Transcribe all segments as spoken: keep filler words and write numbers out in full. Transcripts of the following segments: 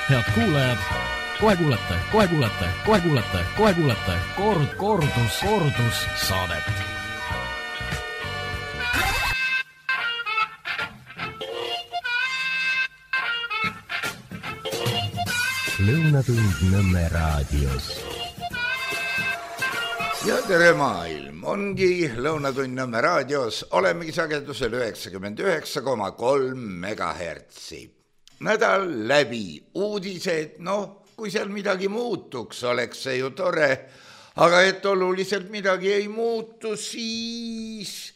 Head kuulajad, kohe kuulete, kohe kuulete, kohe kuulete, kohe kuulete kord, kordus, kordus saadet. Lõunatund Nõmme raadios. Ja tere maailm, ongi Lõunatund Nõmme raadios, olemegi sagedusel üheksakümmend üheksa koma kolm megahertsi. Nädal läbi uudised, noh, kui seal midagi muutuks, oleks see ju tore, aga et oluliselt midagi ei muutu, siis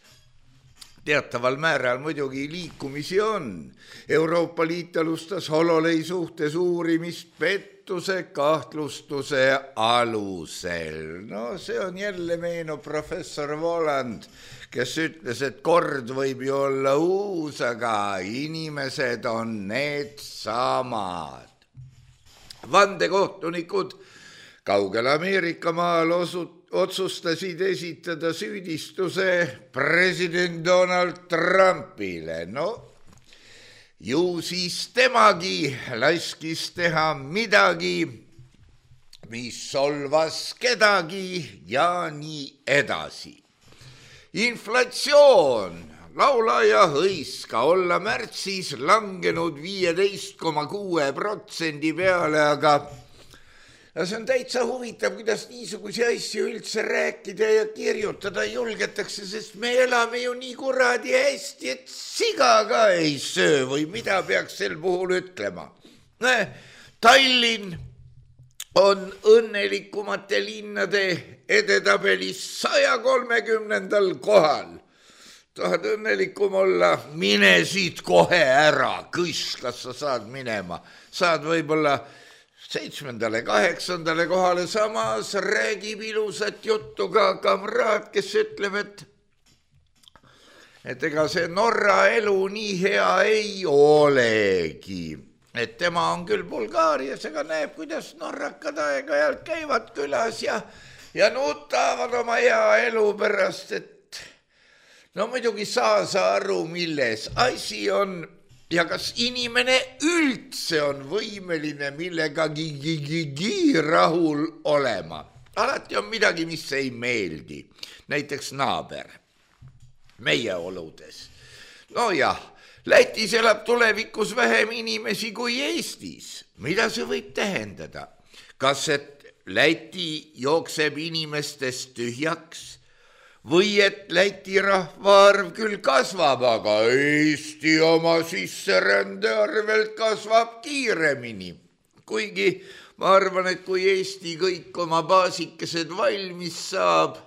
teataval määral muidugi liikumisi on. Euroopa Liit alustas Hololei suhtes uurimist pettuse kahtlustuse alusel. No see on jälle meenub professor Voland, kes ütles, et kord võib ju olla uus, aga inimesed on need samad. Vandekohtunikud kaugel Ameerika maal osut- otsustasid esitada süüdistuse president Donald Trumpile. No, ju siis temagi laskis teha midagi, mis solvas kedagi ja nii edasi. Inflatsioon, laulaja hõiska olla märtsis langenud viieteist koma kuue protsendi peale, aga ja see on täitsa huvitav, kuidas niisuguse asju üldse rääkida ja kirjutada julgetakse, sest me elame ju nii kuradi hästi, et siga ka ei söö või mida peaks sel puhul ütlema. Tallinn on õnnelikumate linnade edetabelis saja kolmekümnendal kohal. Tahad õnnelikum olla, mine siit kohe ära, kõs, kas sa saad minema. Saad võib-olla seitsmendale, kaheksandale kohale, samas räägib ilusat juttu ka kamraad, kes ütleb, et, et ega see Norra elu nii hea ei olegi. Et tema on küll Bulgaarias, aga näeb, kuidas norrakad aeg-ajalt käivad külas ja, ja nutavad oma hea elu pärast, et no muidugi saa sa aru, milles asi on ja kas inimene üldse on võimeline millegagi rahul olema. Alati on midagi, mis ei meeldi. Näiteks naaber meie oludes. No jah, Lätis elab tulevikus vähem inimesi kui Eestis. Mida see võib tähendada? Kas et Läti jookseb inimestest tühjaks? Või et Läti rahvaarv küll kasvab, aga Eesti oma sisserände arvelt kasvab kiiremini. Kuigi ma arvan, et kui Eesti kõik oma baasikesed valmis saab,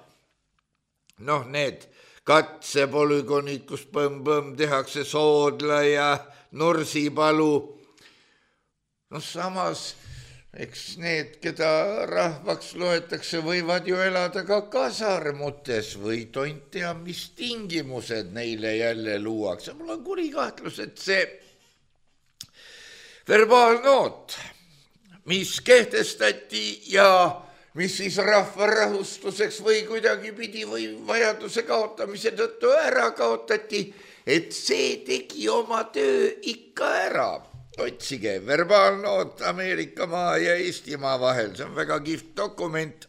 noh need katsepolügonid, kus põmm-põmm tehakse Soodla ja Nursipalu. No samas, eks need, keda rahvaks loetakse, võivad ju elada ka kasarmutes või tont tea, mis tingimused neile jälle luuakse. Mul on kuri kahtlus, et see verbaalnoot, mis kehtestati ja mis siis rahva rahustuseks või kuidagi pidi või vajaduse kaotamise tõttu ära kaotati, et see tegi oma töö ikka ära. Otsige verbaalnoot Ameerika maa ja Eestimaa vahel, see on väga kihvt dokument,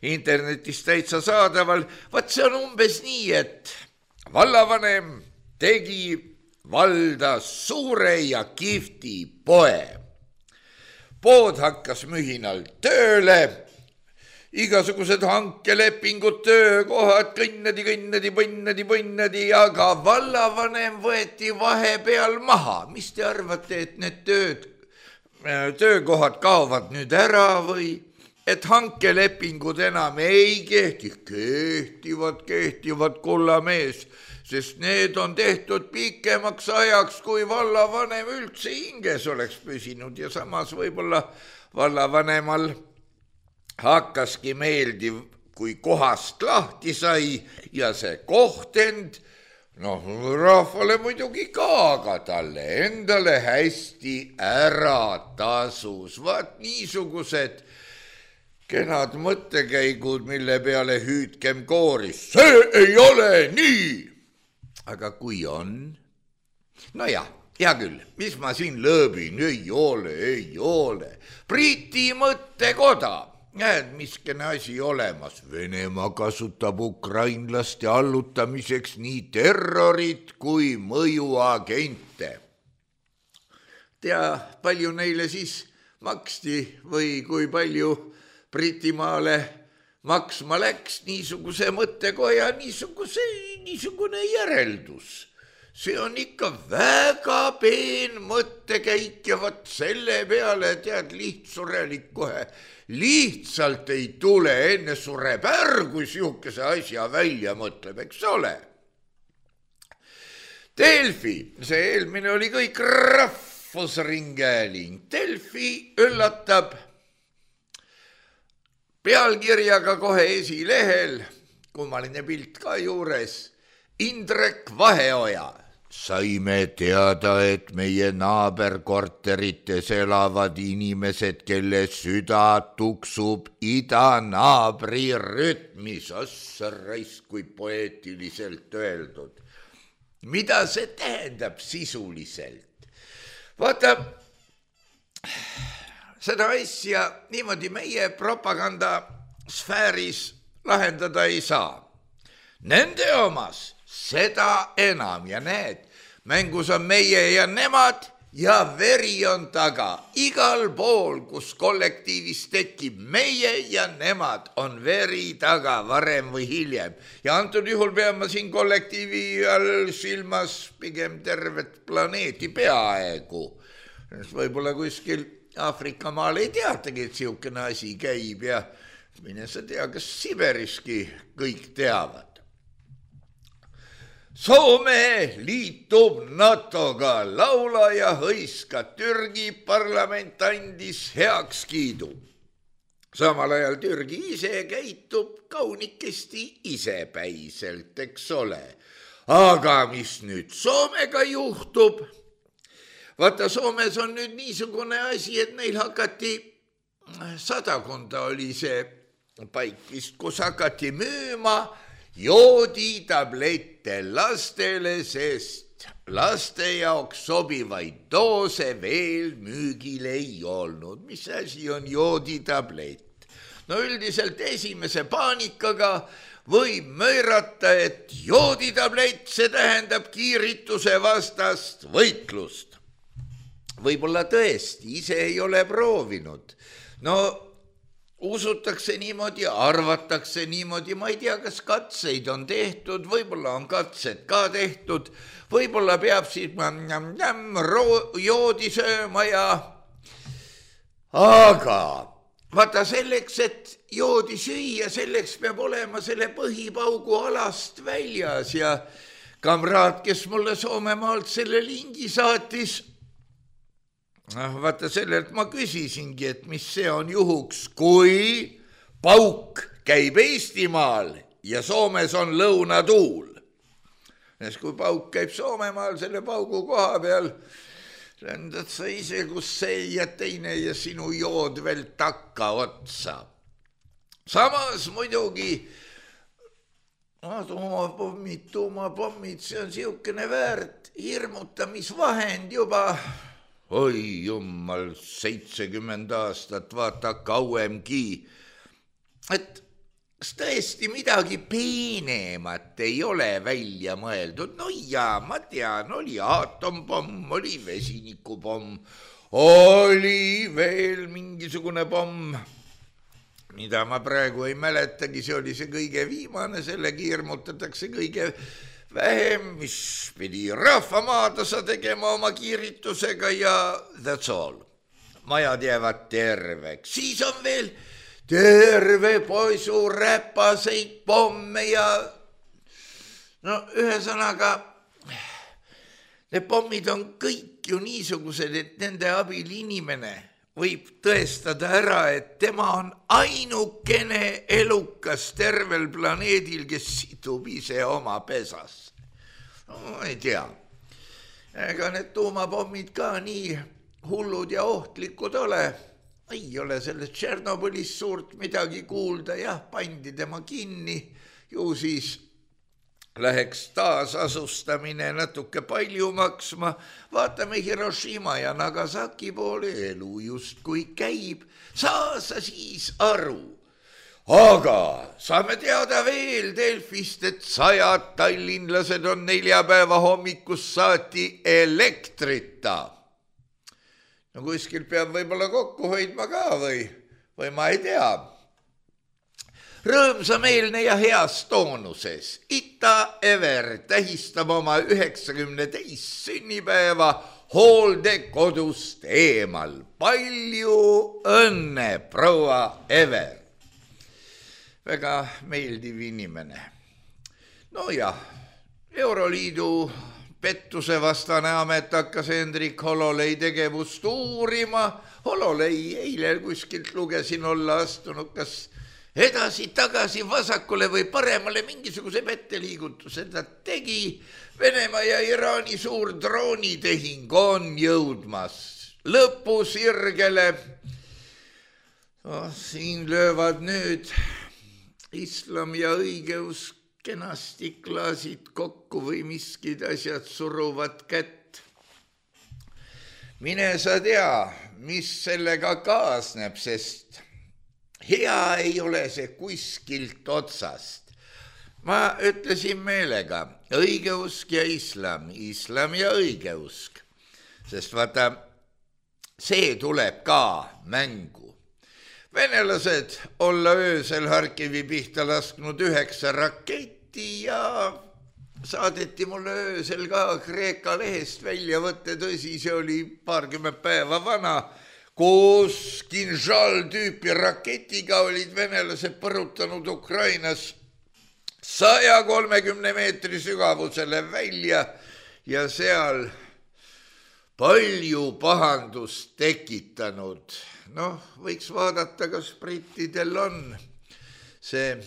internetis täitsa saadaval. Vaat see on umbes nii, et vallavanem tegi valda suure ja kihvti poe. Pood hakkas mühinal tööle, igasugused hankelepingud, töökohad, kõnnadi, kõnnadi, põnnadi, põnnadi, aga vallavanem võeti vahepeal maha. Mis te arvate, et need tööd, töökohad kaovad nüüd ära või et hankelepingud enam ei kehti? Kehtivad, kehtivad kullamees, sest need on tehtud pikemaks ajaks, kui vallavanem üldse hinges oleks püsinud ja samas võib-olla vallavanemal hakkaski meeldiv, kui kohast lahti sai ja see kohtend, noh, rahvale muidugi ka, aga talle endale hästi ära tasus. Vaat niisugused kenad mõttekäigud, mille peale hüüdkem kooris. See ei ole nii! Aga kui on? No jah, hea küll, mis ma siin lõõbin, ei ole, ei ole. Briti mõttekoda. Näed, miskene asi olemas. Venemaa kasutab ukrainlaste allutamiseks nii terrorit kui mõjuagente. Tea, palju neile siis maksti või kui palju Britimaale maksma läks niisuguse mõttekoja, niisuguse, niisugune järeldus. See on ikka väga peen mõttekäik ja võt selle peale tead lihtsurelik kohe. Lihtsalt ei tule, enne sureb ära, kui sihukese asja välja mõtleb, eks ole. Delfi, see eelmine oli kõik rahvusringhääling. Delfi üllatab pealkirjaga kohe esilehel, kummaline pilt ka juures, Indrek Vaheoja. Saime teada, et meie naaberkorterites elavad inimesed, kelle süda tuksub idanaabri rütmis. Assa raisk, kui poeetiliselt öeldud. Mida see tähendab sisuliselt? Vaata, seda asja niimoodi meie propagandasfääris lahendada ei saa. Nende omas seda enam ja näed, mängus on meie ja nemad ja veri on taga. Igal pool, kus kollektiivis tekib meie ja nemad, on veri taga varem või hiljem. Ja antud juhul peame siin kollektiivi all silmas pigem tervet planeeti peaaegu. Võib-olla kuskil Aafrika maal ei teatagi, et sihukene asi käib ja mine sa tea, kas Siberiski kõik teavad. Soome liitub NATOga, laulaja hõiska Türgi parlament andis heakskiidu. Samal ajal Türgi ise käitub kaunikesti isepäiselt, eks ole. Aga mis nüüd Soomega juhtub? Vaata, Soomes on nüüd niisugune asi, et neil hakati, sadakonda oli see paik vist, kus hakati müüma jooditablette lastele, sest laste jaoks sobivaid doose veel müügil ei olnud. Mis asi on jooditablett? No üldiselt esimese paanikaga võib möörata, et jooditablett, see tähendab kiirituse vastast võitlust. Võib-olla tõesti, ise ei ole proovinud. No usutakse niimoodi, arvatakse niimoodi, ma ei tea, kas katseid on tehtud, võib-olla on katsed ka tehtud, võib-olla peab siis joodi sööma ja... Aga vaata selleks, et joodi süüa, selleks peab olema selle põhipaugu alast väljas ja kamraad, kes mulle Soomemaalt selle lingi saatis, vaata sellelt ma küsisingi, et mis see on juhuks, kui pauk käib Eestimaal ja Soomes on lõunatuul. Nes kui pauk käib Soomemaal selle paugu koha peal, lendad sa ise, kus see ja teine ja sinu jood veel takka otsa. Samas muidugi tuumapommid, tuumapommid, see on sihukene väärt hirmutamisvahend juba. Oi jummal, seitsekümmend aastat, vaata kauemgi. Et kas tõesti midagi peenemat ei ole välja mõeldud? No jaa, ma tean, oli aatompomm, oli vesinikupomm, oli veel mingisugune pomm, mida ma praegu ei mäletagi, see oli see kõige viimane, sellegi hirmutatakse kõige vähem, mis pidi rahvamaadasa tegema oma kiiritusega ja that's all. Majad jäävad terveks. Siis on veel terve poisu räpaseid pomme ja no ühesõnaga need pommid on kõik ju niisugused, et nende abil inimene võib tõestada ära, et tema on ainukene elukas tervel planeedil, kes situb ise oma pesas. No ei tea. Ega need tuumapommid ka nii hullud ja ohtlikud ole. Ei ole sellest Tšernobõlis suurt midagi kuulda. Jah, pandi tema kinni. Ju siis läheks taasasustamine natuke palju maksma, vaatame Hiroshima ja Nagasaki poole, elu justkui käib, saa sa siis aru. Aga saame teada veel Delfist, et sajad tallinlased on neljapäeva hommikus saati elektrita. No kuskil peab võib-olla kokku hoidma ka või, või ma ei tea. Rõõmsameelne ja heas toonuses Ita Ever tähistab oma üheksakümne teist sünnipäeva hooldekodust eemal. Palju õnne, proua Ever! Väga meeldiv inimene. No jah, Euroliidu pettuse vastane amet hakkas Hendrik Hololei tegevust uurima. Hololei eile kuskilt lugesin olla astunud kas edasi, tagasi, vasakule või paremale mingisuguse petteliigutuse ta tegi. Venemaa ja Iraani suur droonitehing on jõudmas lõpusirgele. Oh, siin löövad nüüd islam ja õigeusk kenasti klaasid kokku või miskid asjad suruvad kätt. Mine sa tea, mis sellega kaasneb, sest hea ei ole see kuskilt otsast. Ma ütlesin meelega õigeusk ja islam, islam ja õigeusk, sest vaata, see tuleb ka mängu. Venelased olla öösel Harkivi pihta lasknud üheksa raketti ja saadeti mulle öösel ka Kreeka lehest välja võtte, tõsi, see oli paarkümmend päeva vana, koos Kinžal tüüpi raketiga olid venelased põrutanud Ukrainas saja kolmekümne meetri sügavusele välja ja seal palju pahandust tekitanud. Noh, võiks vaadata, kas brittidel on see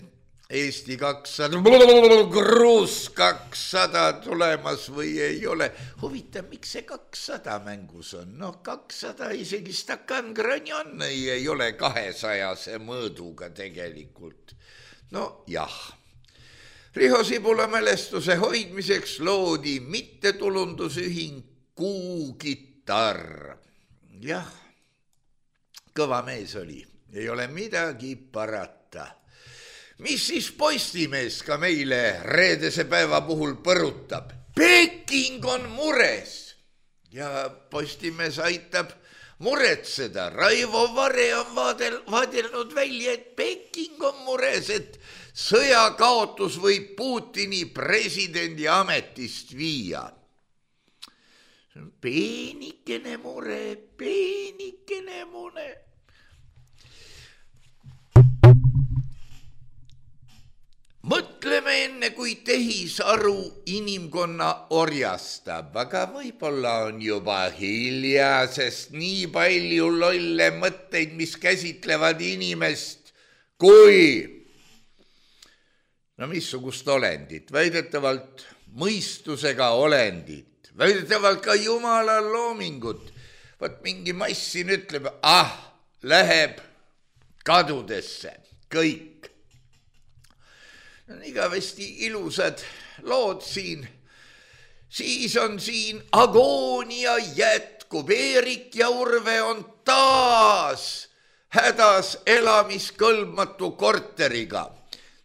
Eesti kakssada, Gruus kakssada tulemas või ei ole. Huvitav, miks see kakssada mängus on? Noh, kakssada isegi Stakan Granjon ei, ei ole kahesajase mõõduga tegelikult. No jah. Riho Sibula mälestuse hoidmiseks loodi mittetulundusühing Kuugitarr. Jah, kõva mees oli, ei ole midagi parata. Mis siis Postimees ka meile reedese päeva puhul põrutab? Peking on mures ja Postimees aitab muretseda. Raivo Vare on vaadel, vaadelnud välja, et Peking on mures, et sõjakaotus võib Putini presidendi ametist viia. Peenikene mure, peenikene mure. Mõtleme enne, kui tehisaru inimkonna orjastab, aga võib-olla on juba hilja, sest nii palju lolle mõtteid, mis käsitlevad inimest kui, no missugust olendit, väidetavalt mõistusega olendit, väidetavalt ka Jumala loomingut. Vaat mingi mass siin ütleb, ah, läheb kadudesse, kõik. On igavesti ilusad lood siin. Siis on siin agoonia jätkub. Eerik ja Urve on taas hädas elamiskõlbmatu korteriga.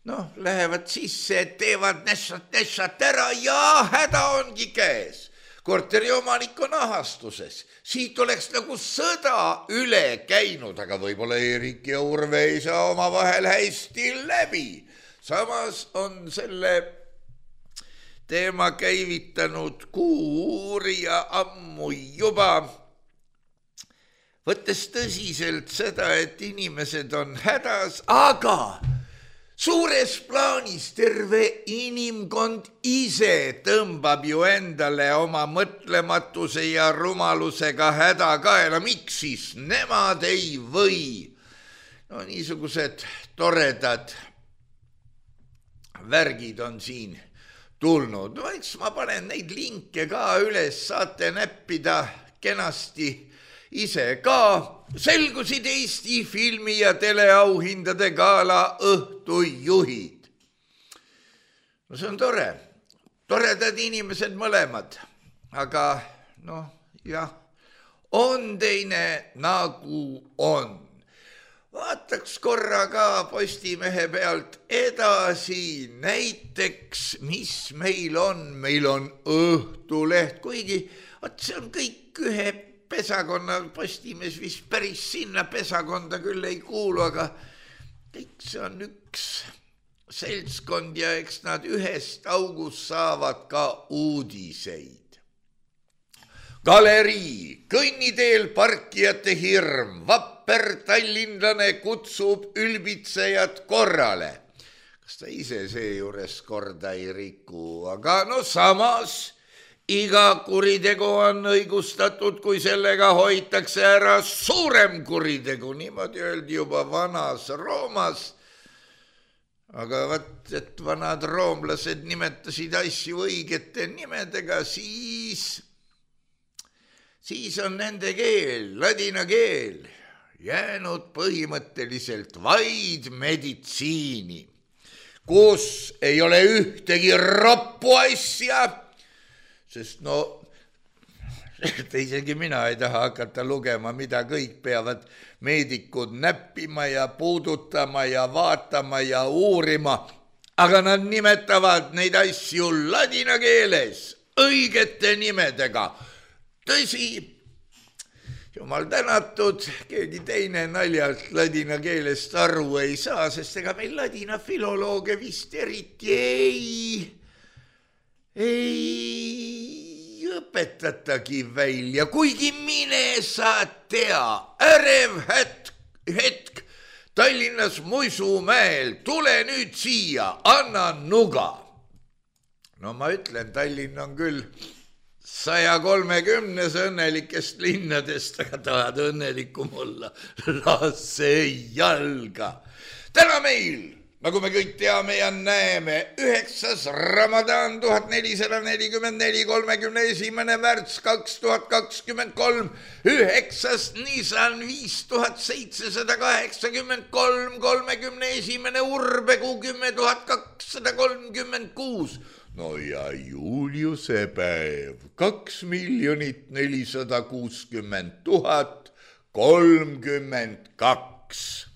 Noh, lähevad sisse, teevad nešat-nešat ära ja häda ongi käes. Korteri omanik on ahastuses. Siit oleks nagu sõda üle käinud, aga võib-olla Eerik ja Urve ei saa oma vahel hästi läbi. Samas on selle teema käivitanud kuuurija ammu juba, võttes tõsiselt seda, et inimesed on hädas, aga suures plaanis terve inimkond ise tõmbab ju endale oma mõtlematuse ja rumalusega häda kaela. Miks siis nemad ei või? No niisugused toredad värgid on siin tulnud. No eks ma panen neid linke ka üles, saate näppida kenasti ise ka. Selgusid Eesti filmi ja teleauhindade gala õhtujuhid. No see on tore. toredad inimesed mõlemad, aga noh, jah, on teine nagu on. Vaataks korra ka Postimehe pealt edasi, näiteks, mis meil on. Meil on Õhtuleht, kuigi et see on kõik ühe pesakonna, Postimees vist päris sinna pesakonda küll ei kuulu, aga kõik see on üks seltskond ja eks nad ühest august saavad ka uudiseid. Galerii, kõnniteel parkijate hirm, vapper tallinlane kutsub ülbitsejad korrale. Kas ta ise seejuures korda ei riku, aga no samas iga kuritegu on õigustatud, kui sellega hoitakse ära suurem kuritegu, niimoodi öeldi juba vanas Roomas. Aga vaat, et vanad roomlased nimetasid asju õigete nimedega, siis... siis on nende keel, ladina keel, jäänud põhimõtteliselt vaid meditsiini, kus ei ole ühtegi roppu asja, sest no, isegi mina ei taha hakata lugema, mida kõik peavad meedikud näppima ja puudutama ja vaatama ja uurima, aga nad nimetavad neid asju ladina keeles õigete nimedega. Tõsi, jumal tänatud, keegi teine naljalt ladina keelest aru ei saa, sest ega meil ladina filolooge vist eriti ei, ei õpetatagi välja, kuigi mine sa tea, ärev hetk, hetk Tallinnas Muisumäel, tule nüüd siia, anna nuga. No ma ütlen, Tallinn on küll saja kolmekümnes õnnelikest linnadest, aga tahad õnnelikum olla, lase jalga. Täna meil, nagu me kõik teame ja näeme, üheksas Ramadan tuhat nelisada nelikümmend neli, kolmekümne esimene märts kaks tuhat kakskümmend kolm, üheksas Nisan viis tuhat seitsesada kaheksakümmend kolm, kolmekümne esimene Urbekuu kümme tuhat kakssada kolmkümmend kuus. No ja Juliuse päev, kaks miljonit nelisada kuuskümmend tuhat kolmkümmend kaks.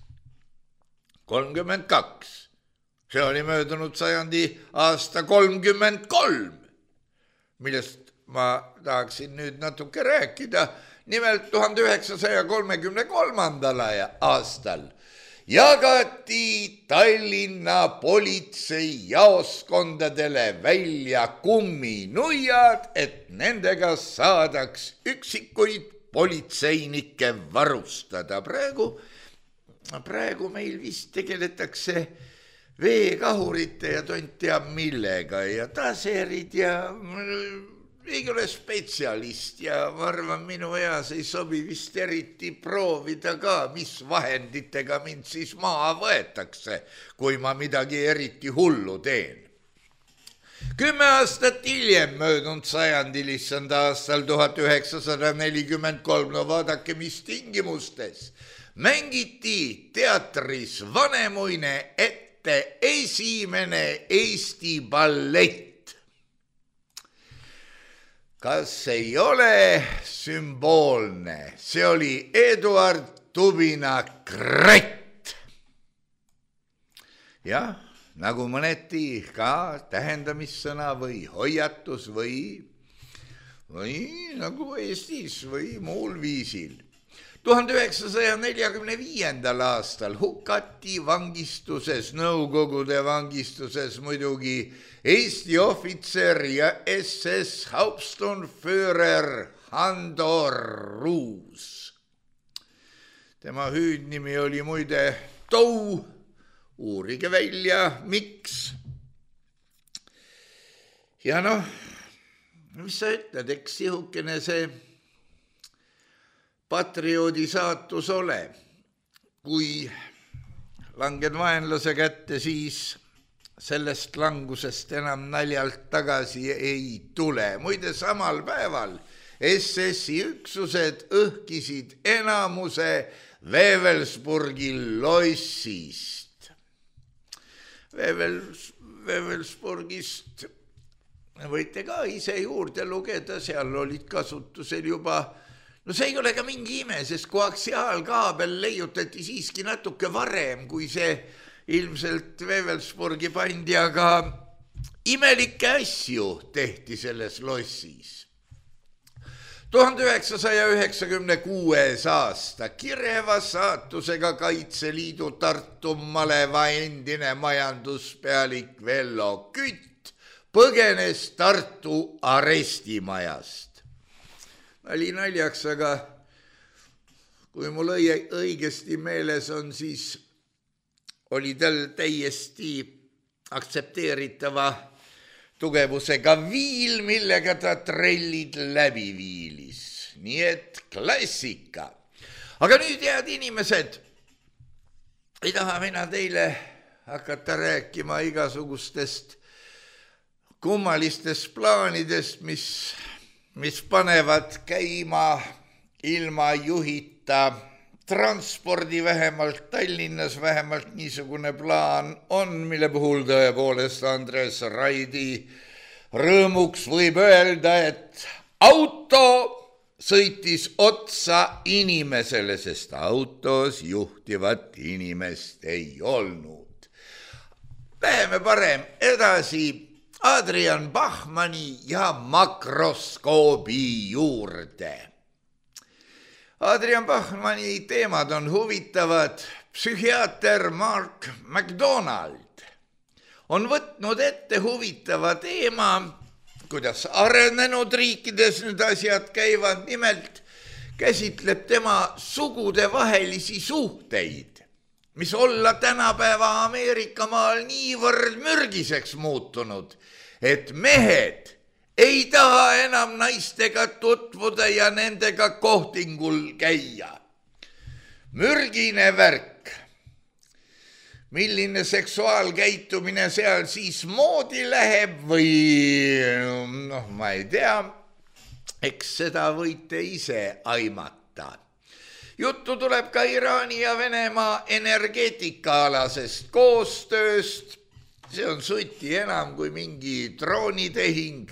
kolmkümmend kaks. See oli möödunud sajandi aasta kolmkümmend kolm, millest ma tahaksin nüüd natuke rääkida. Nimelt tuhande üheksasaja kolmekümne kolmandal aastal jagati Tallinna politsei jaoskondadele välja kumminuiad, et nendega saadaks üksikuid politseinikke varustada. Praegu, praegu meil vist tegeletakse veekahurite ja tont teab millega ja taserid ja ei ole spetsialist ja ma arvan, minu eas ei sobi vist eriti proovida ka, mis vahenditega mind siis maha võetakse, kui ma midagi eriti hullu teen. Kümme aastat hiljem möödunud sajandil, issand aastal tuhat üheksasada nelikümmend kolm, no vaadake, mis tingimustes mängiti teatris Vanemuine ette esimene Eesti ballett. Kas ei ole sümboolne? See oli Eduard Tubina Kratt. Jah, nagu mõneti ka tähendamissõna või hoiatus või, või nagu Eestis või muul viisil. tuhande üheksasaja neljakümne viiendal aastal hukati vangistuses, Nõukogude vangistuses muidugi Eesti ohvitser ja S S Hauptsturmführer Hando Ruus. Tema hüüdnimi oli muide Tou, uurige välja, miks. Ja noh, mis sa ütled, eks sihukene see patrioodi saatus ole, kui langed vaenlase kätte, siis sellest langusest enam naljalt tagasi ei tule. Muide, samal päeval S S-i üksused õhkisid enamuse Wewelsburgi lossist. Wewels, Wewelsburgist võite ka ise juurde lugeda, seal olid kasutusel juba, no see ei ole ka mingi ime, sest koaksiaalkaabel leiutati siiski natuke varem, kui see ilmselt Wewelsburgi pandi, aga imelikke asju tehti selles lossis. tuhande üheksasaja üheksakümne kuues aasta kireva saatusega Kaitseliidu Tartu maleva endine majanduspealik Vello Kütt põgenes Tartu arestimajast. Nali naljaks, aga kui mul õigesti meeles on, siis oli tal täiesti aktsepteeritava tugevusega viil, millega ta trellid läbi viilis. Nii et klassika. Aga nüüd, head inimesed, ei taha mina teile hakata rääkima igasugustest kummalistest plaanidest, mis, mis panevad käima ilma juhita transpordi, vähemalt Tallinnas, vähemalt niisugune plaan on, mille puhul tõepoolest Andres Raidi rõõmuks võib öelda, et auto sõitis otsa inimesele, sest autos juhtivat inimest ei olnud. Läheme parem edasi Adrian Bachmanni ja makroskoobi juurde. Adrian Bachmanni teemad on huvitavad. Psühhiaater Mark McDonald on võtnud ette huvitava teema, kuidas arenenud riikides need asjad käivad. Nimelt käsitleb tema sugudevahelisi suhteid, mis olla tänapäeva Ameerikamaal niivõrd mürgiseks muutunud, et mehed ei taha enam naistega tutvuda ja nendega kohtingul käia. Mürgine värk. Milline seksuaalkäitumine seal siis moodi läheb või noh, ma ei tea, eks seda võite ise aimata. Juttu tuleb ka Iraani ja Venemaa energeetikaalasest koostööst. See on suti enam kui mingi droonitehing.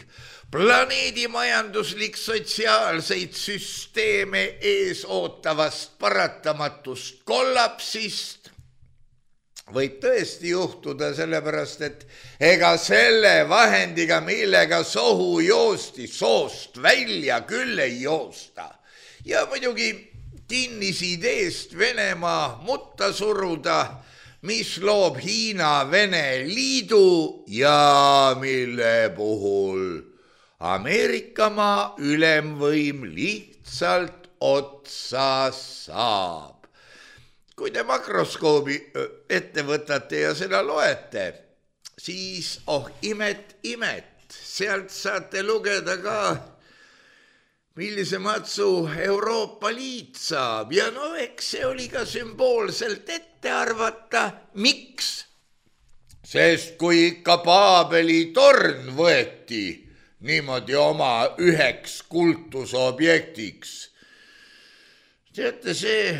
Planeedi majanduslik sotsiaalseid süsteeme ees ootavast paratamatust kollapsist võib tõesti juhtuda, sellepärast, et ega selle vahendiga, millega sohu joosti, soost välja küll ei joosta. Ja muidugi kinnisideest Venemaa mutta suruda, mis loob Hiina-Vene liidu ja mille puhul Ameerikamaa ülemvõim lihtsalt otsa saab. Kui te makroskoobi ette võtate ja seda loete, siis oh imet, imet, sealt saate lugeda ka, millise matsu Euroopa Liit saab. Ja no eks see oli ka sümboolselt ette arvata. Miks? Sest kui ikka Paabeli torn võeti niimoodi oma üheks kultusobjektiks, teate, see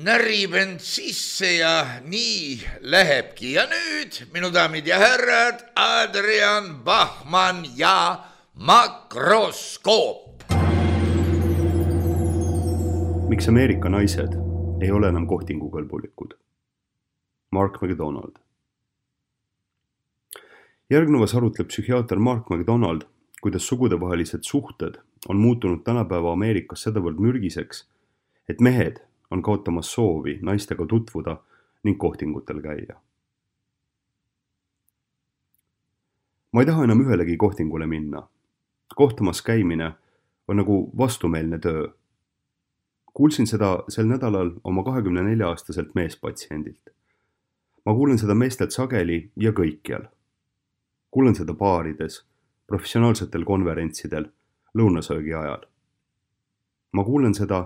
närib end sisse ja nii lähebki. Ja nüüd, minu daamid ja härrad, Adrian Bachmann ja makroskoop. Miks Ameerika naised ei ole enam kohtingukõlbulikud? Mark McDonald. Järgnevas arutleb psühhiaater Mark McDonald, kuidas sugudevahelised suhted on muutunud tänapäeva Ameerikas sedavõrd mürgiseks, et mehed on kaotamas soovi naistega tutvuda ning kohtingutel käia. Ma ei taha enam ühelegi kohtingule minna. Kohtamas käimine on nagu vastumeelne töö. Kuulsin seda sel nädalal oma kahekümne nelja aastaselt meespatsiendilt. Ma kuulen seda meestelt sageli ja kõikjal. Kuulen seda baarides, professionaalsetel konverentsidel, lõunasöögi ajal. Ma kuulen seda,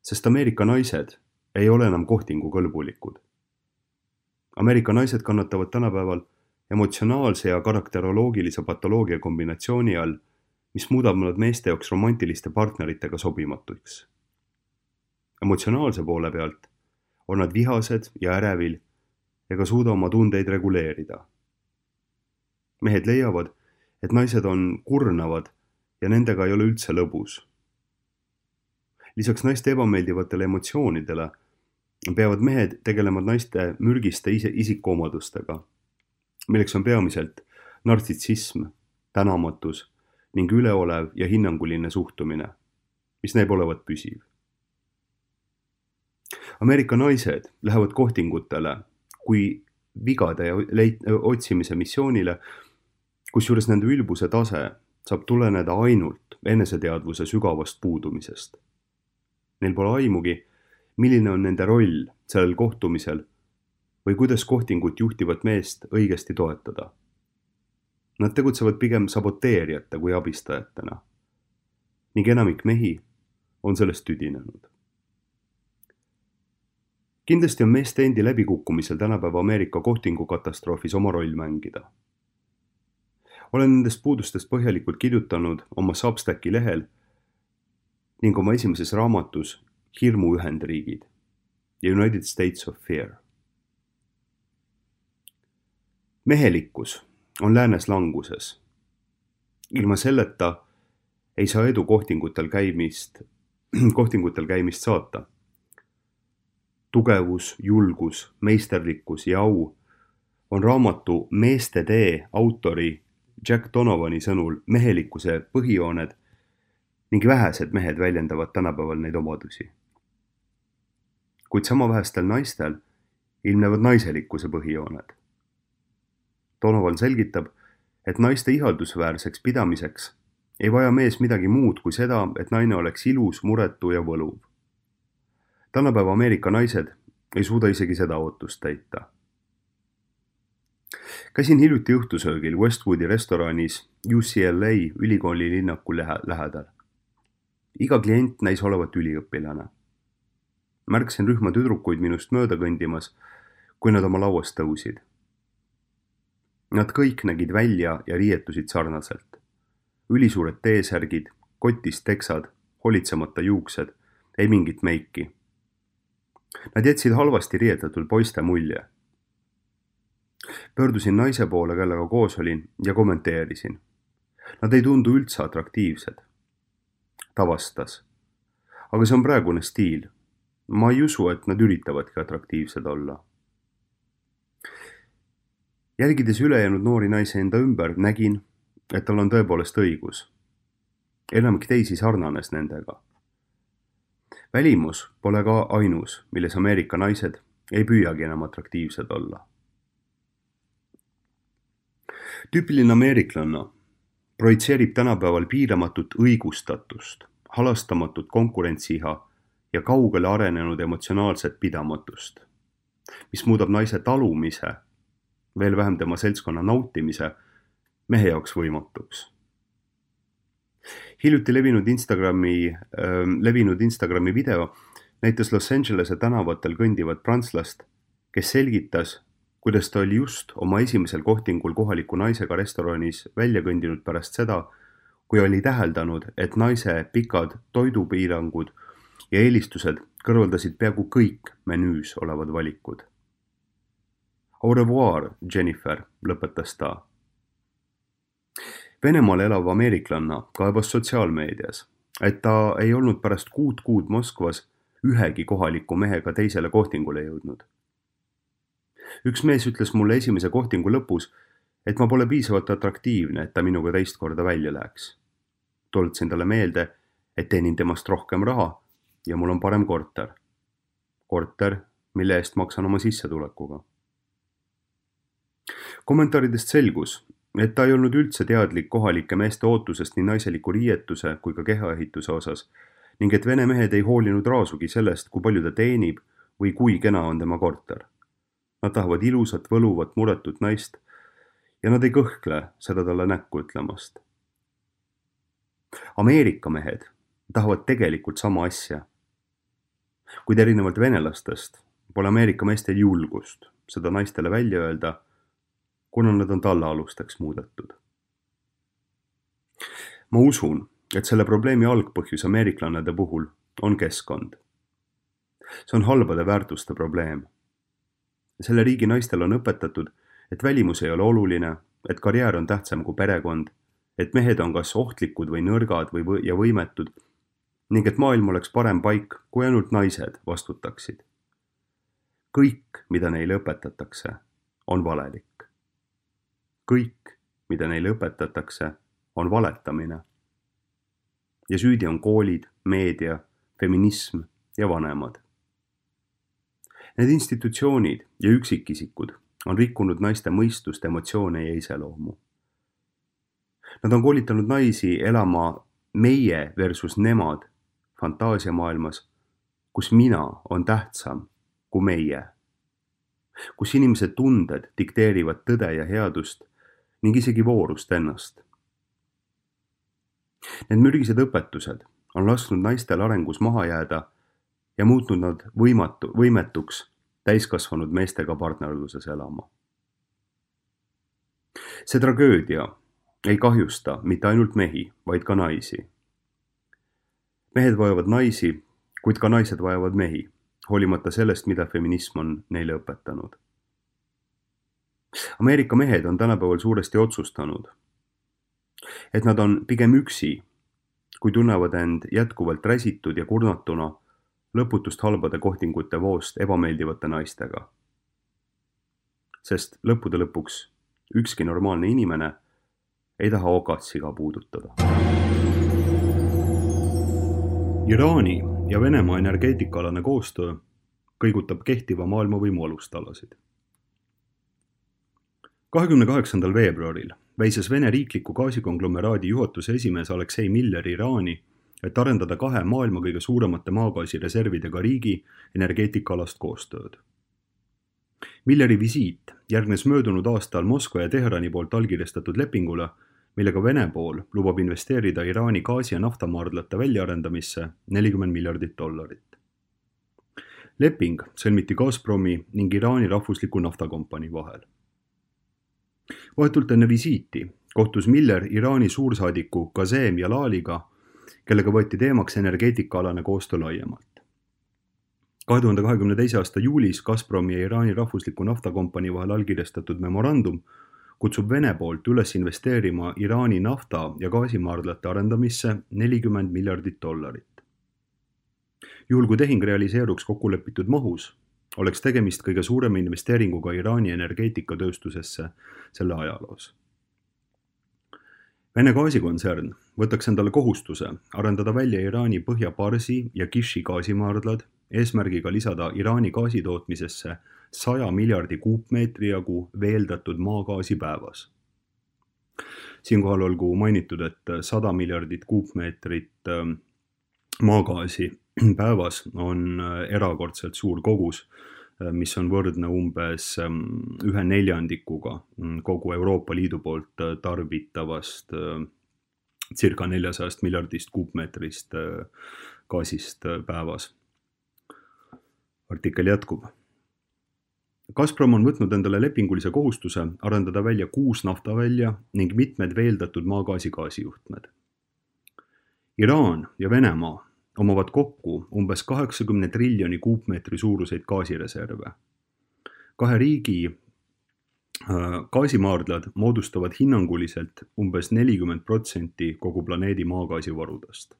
sest Ameerika naised ei ole enam kohtingukõlbulikud. Ameerika naised kannatavad tänapäeval emotsionaalse ja karakteroloogilise patoloogia kombinatsiooni all, mis muudab nad meeste jaoks romantiliste partneritega sobimatuks. Emotsionaalse poole pealt on nad vihased ja ärevil ega suuda oma tundeid reguleerida. Mehed leiavad, et naised on kurnavad ja nendega ei ole üldse lõbus. Lisaks naiste ebameeldivatele emotsioonidele peavad mehed tegelema naiste mürgiste isikuomadustega, milleks on peamiselt nartsissism, tänamatus ning üleolev ja hinnanguline suhtumine, mis näib olevat püsiv. Ameerika naised lähevad kohtingutele kui vigade leit- otsimise missioonile, kusjuures nende ülbuse tase saab tuleneda ainult eneseteadvuse sügavast puudumisest. Neil pole aimugi, milline on nende roll sellel kohtumisel või kuidas kohtingut juhtivat meest õigesti toetada. Nad tegutsevad pigem saboteerijate kui abistajatena ning enamik mehi on sellest tüdinenud. Kindlasti on meeste endi läbikukkumisel tänapäeva Ameerika kohtingu katastroofis oma roll mängida. Olen nendest puudustest põhjalikult kirjutanud oma Substacki lehel ning oma esimeses raamatus Hirmu Ühendriigid ja United States of Fear. Mehelikkus on läänes languses. Ilma selleta ei saa edu kohtingutel käimist, kohtingutel käimist saata. Tugevus, julgus, meisterlikkus ja au on raamatu Meeste tee autori Jack Donovani sõnul mehelikkuse põhijooned ning vähesed mehed väljendavad tänapäeval neid omadusi. Kuid sama vähestel naistel ilmnevad naiselikkuse põhijooned. Donovan selgitab, et naiste ihaldusväärseks pidamiseks ei vaja mees midagi muud kui seda, et naine oleks ilus, muretu ja võluv. Tänapäeva Ameerika naised ei suuda isegi seda ootust täita. Käisin hiljuti õhtusöögil Westwoodi restoranis U C L A ülikooli linnaku lähedal. Iga klient näis olevat üliõpilane. Märksin rühma tüdrukuid minust mööda kõndimas, kui nad oma lauast tõusid. Nad kõik nägid välja ja riietusid sarnaselt. Ülisuured T-särgid, kotist teksad, holitsemata juuksed, ei mingit meiki. Nad jätsid halvasti riietatud poiste mulje. Pöördusin naise poole, kellega koos olin ja kommenteerisin. Nad ei tundu üldse atraktiivsed. Ta vastas. Aga see on praegune stiil. Ma ei usu, et nad üritavadki atraktiivsed olla. Jälgides ülejäänud noori naise enda ümber, nägin, et tal on tõepoolest õigus. Enamik teisi sarnanes nendega. Välimus pole ka ainus, milles Ameerika naised ei püüagi enam atraktiivsed olla. Tüüpiline ameeriklanna projitseerib tänapäeval piiramatut õigustatust, halastamatut konkurentsiiha ja kaugele arenenud emotsionaalset pidamatust, mis muudab naise talumise, veel vähem tema seltskonna nautimise, mehe jaoks võimatuks. Hiljuti levinud Instagrami, äh, levinud Instagrami video näitas Los Angelese tänavatel kõndivat prantslast, kes selgitas, kuidas ta oli just oma esimesel kohtingul kohaliku naisega restoranis välja kõndinud pärast seda, kui oli täheldanud, et naise pikad toidupiirangud ja eelistused kõrvaldasid peaaegu kõik menüüs olevad valikud. Au revoir, Jennifer, lõpetas ta. Venemaal elav ameeriklanna kaebas sotsiaalmeedias, et ta ei olnud pärast kuud kuud Moskvas ühegi kohaliku mehega teisele kohtingule jõudnud. Üks mees ütles mulle esimese kohtingu lõpus, et ma pole piisavalt atraktiivne, et ta minuga teist korda välja läheks. Tuletasin talle meelde, et teenin temast rohkem raha ja mul on parem korter. Korter, mille eest maksan oma sissetulekuga. Kommentaaridest selgus, et ta ei olnud üldse teadlik kohalike meeste ootusest nii naiseliku riietuse kui ka kehaehituse osas ning et vene mehed ei hoolinud raasugi sellest, kui palju ta teenib või kui kena on tema korter. Nad tahavad ilusat, võluvat, muretut naist ja nad ei kõhkle seda talle näkku ütlemast. Ameerika mehed tahavad tegelikult sama asja. Kuid erinevalt venelastest pole Ameerika meestel julgust seda naistele välja öelda, kuna nad on tallaalusteks muudetud. Ma usun, et selle probleemi algpõhjus ameeriklannade puhul on keskkond. See on halbade väärtuste probleem. Selle riigi naistel on õpetatud, et välimus ei ole oluline, et karjäär on tähtsam kui perekond et mehed on kas ohtlikud või nõrgad või võ- ja võimetud ning et maailm oleks parem paik, kui ainult naised vastutaksid. Kõik, mida neile õpetatakse, on valelik. Kõik, mida neile õpetatakse, on valetamine. Ja süüdi on koolid, meedia, feminism ja vanemad. Need institutsioonid ja üksikisikud on rikkunud naiste mõistust, emotsioone ja iseloomu. Nad on koolitanud naisi elama meie versus nemad fantaasiamaailmas, kus mina on tähtsam kui meie, kus inimese tunded dikteerivad tõde ja headust ning isegi voorust ennast. Need mürgised õpetused on lasknud naistel arengus maha jääda ja muutnud nad võimatu, võimetuks täiskasvanud meestega partnerluses elama. See tragöödia ei kahjusta mitte ainult mehi, vaid ka naisi. Mehed vajavad naisi, kuid ka naised vajavad mehi, hoolimata sellest, mida feminism on neile õpetanud. Ameerika mehed on tänapäeval suuresti otsustanud, et nad on pigem üksi, kui tunnevad end jätkuvalt räsitud ja kurnatuna lõputust halbade kohtingute voost ebameeldivate naistega. Sest lõppude lõpuks ükski normaalne inimene ei taha okatsiga puudutada. Iraani ja Venemaa energeetikaalane koostöö kõigutab kehtiva maailmavõimu alustalasid. kahekümne kaheksandal veebruaril väises Vene riikliku gaasikonglomeraadi juhatuse esimees Aleksei Miller Iraani, et arendada kahe maailma kõige suuremate maagaasireservidega riigi energeetikaalast koostööd. Milleri visiit järgnes möödunud aastal Moskva ja Teherani poolt allkirjastatud lepingule, millega Vene pool lubab investeerida Iraani gaasi- ja naftamaardlate väljaarendamisse nelikümmend miljardit dollarit. Leping sõlmiti Gazpromi ning Iraani rahvusliku naftakompanii vahel. Vahetult enne visiiti kohtus Miller Iraani suursaadiku Qasem Jalaliga, kellega võeti teemaks energeetikaalane koostöö laiemalt. kahe tuhande kahekümne teise aasta juulis Gazpromi ja Iraani rahvusliku naftakompanii vahel allkirjastatud memorandum kutsub Vene poolt üles investeerima Iraani nafta- ja gaasimaardlate arendamisse nelikümmend miljardit dollarit. Juhul kui tehing realiseeruks kokkulepitud mahus, oleks tegemist kõige suurema investeeringuga Iraani energeetikatööstusesse selle ajaloos. Vene gaasikontsern võtaks endale kohustuse arendada välja Iraani Põhja-Parsi ja Kishi gaasimaardlad eesmärgiga lisada Iraani gaasitootmisesse saja miljardi kuupmeetri jagu veeldatud maagaasi päevas. Siinkohal olgu mainitud, et sada miljardit kuupmeetrit maagaasi päevas on erakordselt suur kogus, mis on võrdne umbes ühe neljandikuga kogu Euroopa Liidu poolt tarbitavast circa neljasajast miljardist kuupmeetrist gaasist päevas. Artikkel jätkub. Gazprom on võtnud endale lepingulise kohustuse arendada välja kuus naftavälja ning mitmed veeldatud maagaasi gaasijuhtmed. Iraan ja Venemaa omavad kokku umbes kaheksakümne triljoni kuupmeetri suuruseid gaasireserve. Kahe riigi gaasimaardlad moodustavad hinnanguliselt umbes nelikümmend protsenti kogu planeedi maagaasivarudest.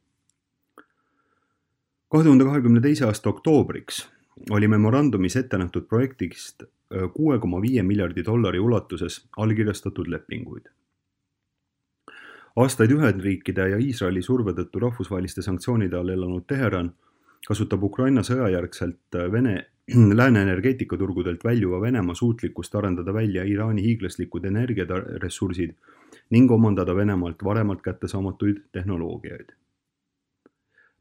kahe tuhande kahekümne teise aasta oktoobriks oli memorandumis ette nähtud projektist kuue koma viie miljardi dollari ulatuses allkirjastatud lepinguid. Aastaid Ühendriikide ja Iisraeli surve tõttu rahvusvaheliste sanktsioonide all elanud Teheran kasutab Ukraina sõjajärgselt Vene lääne energeetikaturgudelt väljuva Venemaa suutlikkust arendada välja Iraani hiiglaslikud energiaressursid ning omandada Venemaalt varemalt kättesaamatuid tehnoloogiaid.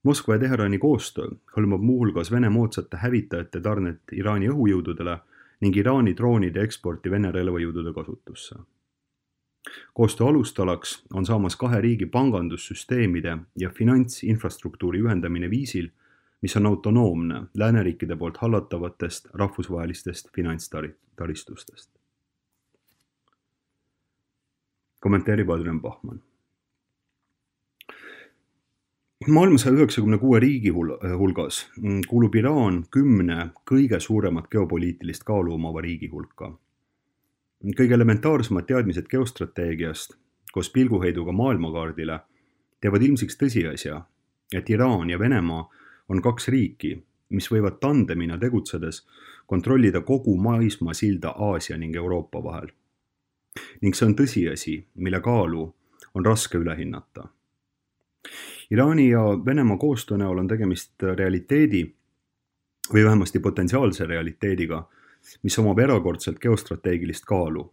Moskva ja Teherani koostöö hõlmab muuhulgas Vene moodsate hävitajate tarnet Iraani õhujõududele ning Iraani droonide eksporti Vene relvajõudude kasutusse. Koostöö alustalaks on saamas kahe riigi pangandussüsteemide ja finantsinfrastruktuuri ühendamine viisil, mis on autonoomne lääneriikide poolt hallatavatest rahvusvahelistest finantstaristustest. Kommenteerib Adrian Bachmann. Maailma saja üheksakümne kuue riigi hulgas kuulub Iraan kümne kõige suuremat geopoliitilist kaalu omava riigi hulka. Kõige elementaarsemad teadmised geostrateegiast, koos pilguheiduga maailmakaardile teevad ilmsiks tõsiasja, et Iraan ja Venemaa on kaks riiki, mis võivad tandemina tegutsedes kontrollida kogu maismaa silda Aasia ning Euroopa vahel. Ning see on tõsiasi, mille kaalu on raske üle hinnata. Iraani ja Venemaa koostöö näol on tegemist realiteedi või vähemasti potentsiaalse realiteediga, mis omab erakordselt geostrateegilist kaalu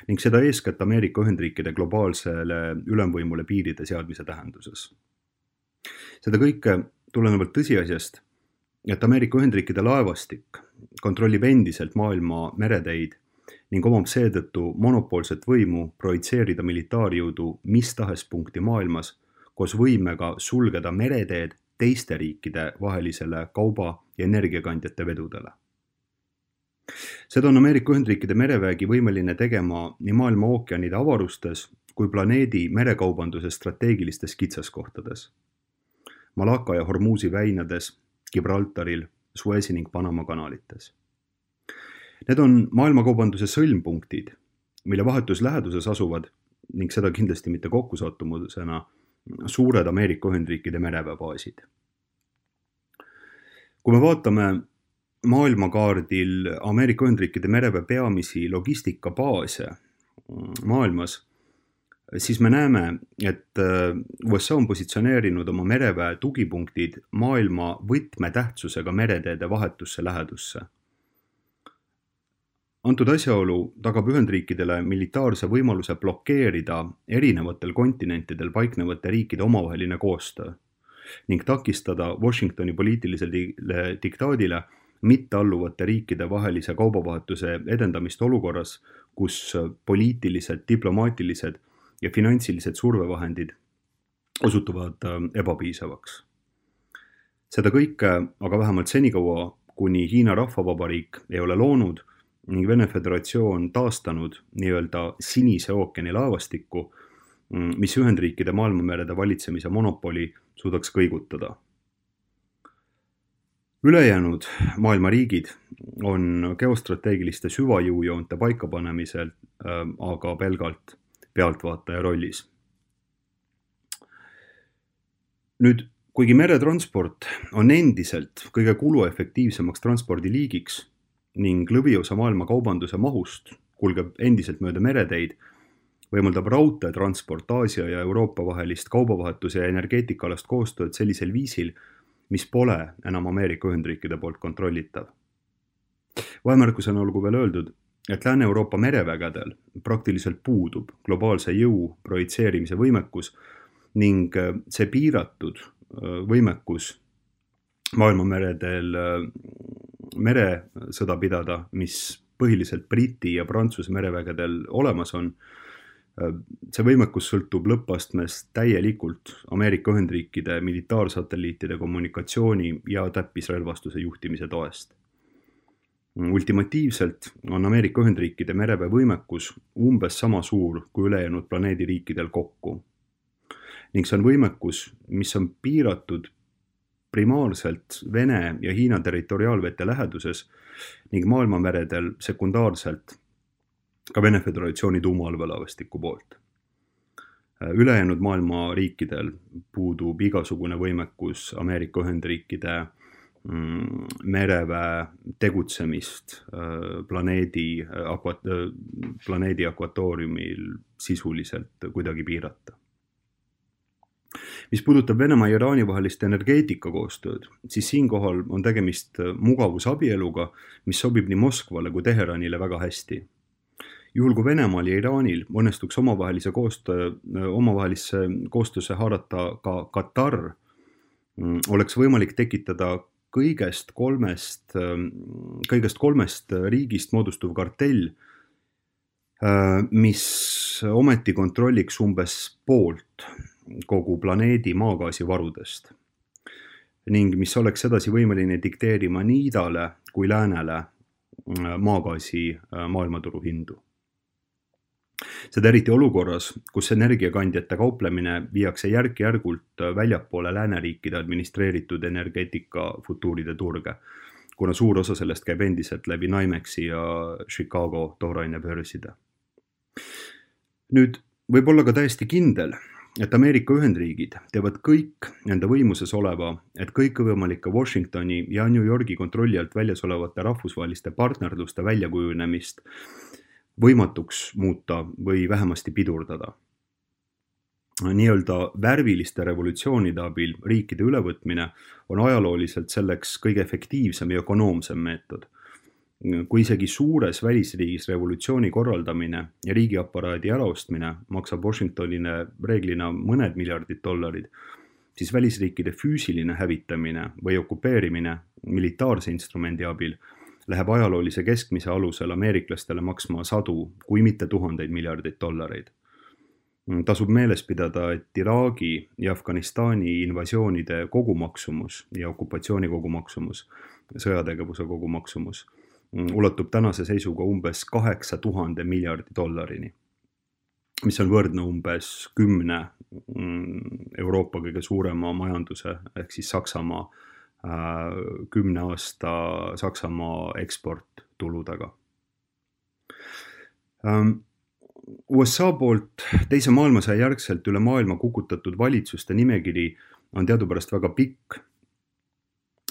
ning seda eeskätt Ameerika Ühendriikide globaalsele ülemvõimule piiride seadmise tähenduses. Seda kõike tulenevalt tõsiasjast, et Ameerika Ühendriikide laevastik kontrollib endiselt maailma mereteid ning omab seetõttu monopoolset võimu projitseerida militaarjõudu mis tahes punkti maailmas koos võimega sulgeda mereteed teiste riikide vahelisele kauba- ja energiakandjate vedudele. Seda on Ameerika Ühendriikide merevägi võimeline tegema nii maailma ookeanide avarustes kui planeedi merekaubanduse strateegilistes kitsaskohtades. Malaka ja Hormuzi väinades, Gibraltaril, Suezi ning Panama kanalites. Need on maailmakaubanduse sõlmpunktid, mille vahetus läheduses asuvad ning seda kindlasti mitte kokkusattumusena suured Ameerika Ühendriikide mereväebaasid. Kui me vaatame maailmakaardil Ameerika Ühendriikide mereväe peamisi logistikabaase maailmas, siis me näeme, et U S A on positsioneerinud oma mereväe tugipunktid maailma võtmetähtsusega mereteede vahetusse lähedusse. Antud asjaolu tagab Ühendriikidele militaarse võimaluse blokeerida erinevatel kontinentidel paiknevate riikide omavaheline koostöö ning takistada Washingtoni poliitilisele diktaadile mittealluvate riikide vahelise kaubavahetuse edendamist olukorras, kus poliitilised, diplomaatilised ja finantsilised survevahendid osutuvad ebapiisavaks. Seda kõike aga vähemalt senikaua, kuni Hiina Rahvavabariik ei ole loonud ning Vene Föderatsioon taastanud nii-öelda Sinise ookeani laevastikku, mis Ühendriikide maailmamerede valitsemise monopoli suudaks kõigutada. Ülejäänud maailma riigid on geostrateegiliste süvajõujoonte paikapanemisel aga pelgalt pealtvaataja rollis. Nüüd, kuigi meretransport on endiselt kõige kuluefektiivsemaks transpordiliigiks ning lõviosa maailma kaubanduse mahust kulgeb endiselt mööda mereteid, võimaldab raudteetransport Aasia ja Euroopa vahelist kaubavahetuse ja energeetikalast koostööd sellisel viisil, mis pole enam Ameerika Ühendriikide poolt kontrollitav. Vahemärkusena olgu veel öeldud, et Lääne-Euroopa merevägedel praktiliselt puudub globaalse jõu projitseerimise võimekus ning see piiratud võimekus maailmameredel meresõda pidada, mis põhiliselt Briti ja Prantsuse merevägedel olemas on, see võimekus sõltub lõppastmes täielikult Ameerika Ühendriikide militaarsatelliitide kommunikatsiooni ja täppisrelvastuse juhtimise toest. Ultimatiivselt on Ameerika Ühendriikide mereväe võimekus umbes sama suur kui ülejäänud planeedi riikidel kokku. Ning see on võimekus, mis on piiratud primaarselt Vene ja Hiina territoriaalvete läheduses ning maailmameredel sekundaarselt ka Vene Föderatsiooni tuumaallveelaevastiku poolt. Ülejäänud maailma riikidel puudub igasugune võimekus Ameerika Ühendriikide mereväe tegutsemist planeedi, planeedi akvatooriumil sisuliselt kuidagi piirata. Mis puudutab Venemaa ja Iraani vahelist energeetika koostööd, siis siinkohal on tegemist mugavusabieluga, mis sobib nii Moskvale kui Teheranile väga hästi. Juhul kui Venemaal ja Iraanil õnnestuks omavahelise koostöö, omavahelisse koostöösse haarata ka Katar, oleks võimalik tekitada kõigest kolmest, kõigest kolmest riigist moodustuv kartell, mis ometi kontrolliks umbes poolt kogu planeedi maagaasivarudest ning mis oleks edasi võimeline dikteerima nii idale kui läänele maagaasi maailmaturu hindu. Seda eriti olukorras, kus energiakandjate kauplemine viiakse järk-järgult väljapoole lääneriikide administreeritud energeetika futuuride turge, kuna suur osa sellest käib endiselt läbi Nimexi ja Chicago toorainebörside. Nüüd, võib olla ka täiesti kindel, et Ameerika Ühendriigid teevad kõik nende võimuses oleva, et kõikvõimalike Washingtoni ja New Yorgi kontrolli alt väljas olevate rahvusvaheliste partnerluste väljakujunemist võimatuks muuta või vähemasti pidurdada. Nii-öelda värviliste revolutsioonide abil riikide ülevõtmine on ajalooliselt selleks kõige efektiivsem ja ökonoomsem meetod. Kui isegi suures välisriigis revolutsiooni korraldamine ja riigiaparaadi äraostmine maksab Washingtonile reeglina mõned miljardid dollarid, siis välisriikide füüsiline hävitamine või okupeerimine militaarse instrumendi abil läheb ajaloolise keskmise alusel ameeriklastele maksma sadu, kui mitte tuhandeid miljardeid dollareid. Tasub meeles pidada, et Iraagi ja Afganistani invasioonide kogumaksumus ja okupatsiooni kogumaksumus, sõjategevuse kogumaksumus ulatub tänase seisuga umbes kaheksa tuhande miljardi dollarini, mis on võrdne umbes kümne Euroopa kõige suurema majanduse ehk siis Saksamaa kümne aasta Saksamaa eksporttuludega. U S A poolt teise maailmasõja järgselt üle maailma kukutatud valitsuste nimekiri on teadupärast väga pikk.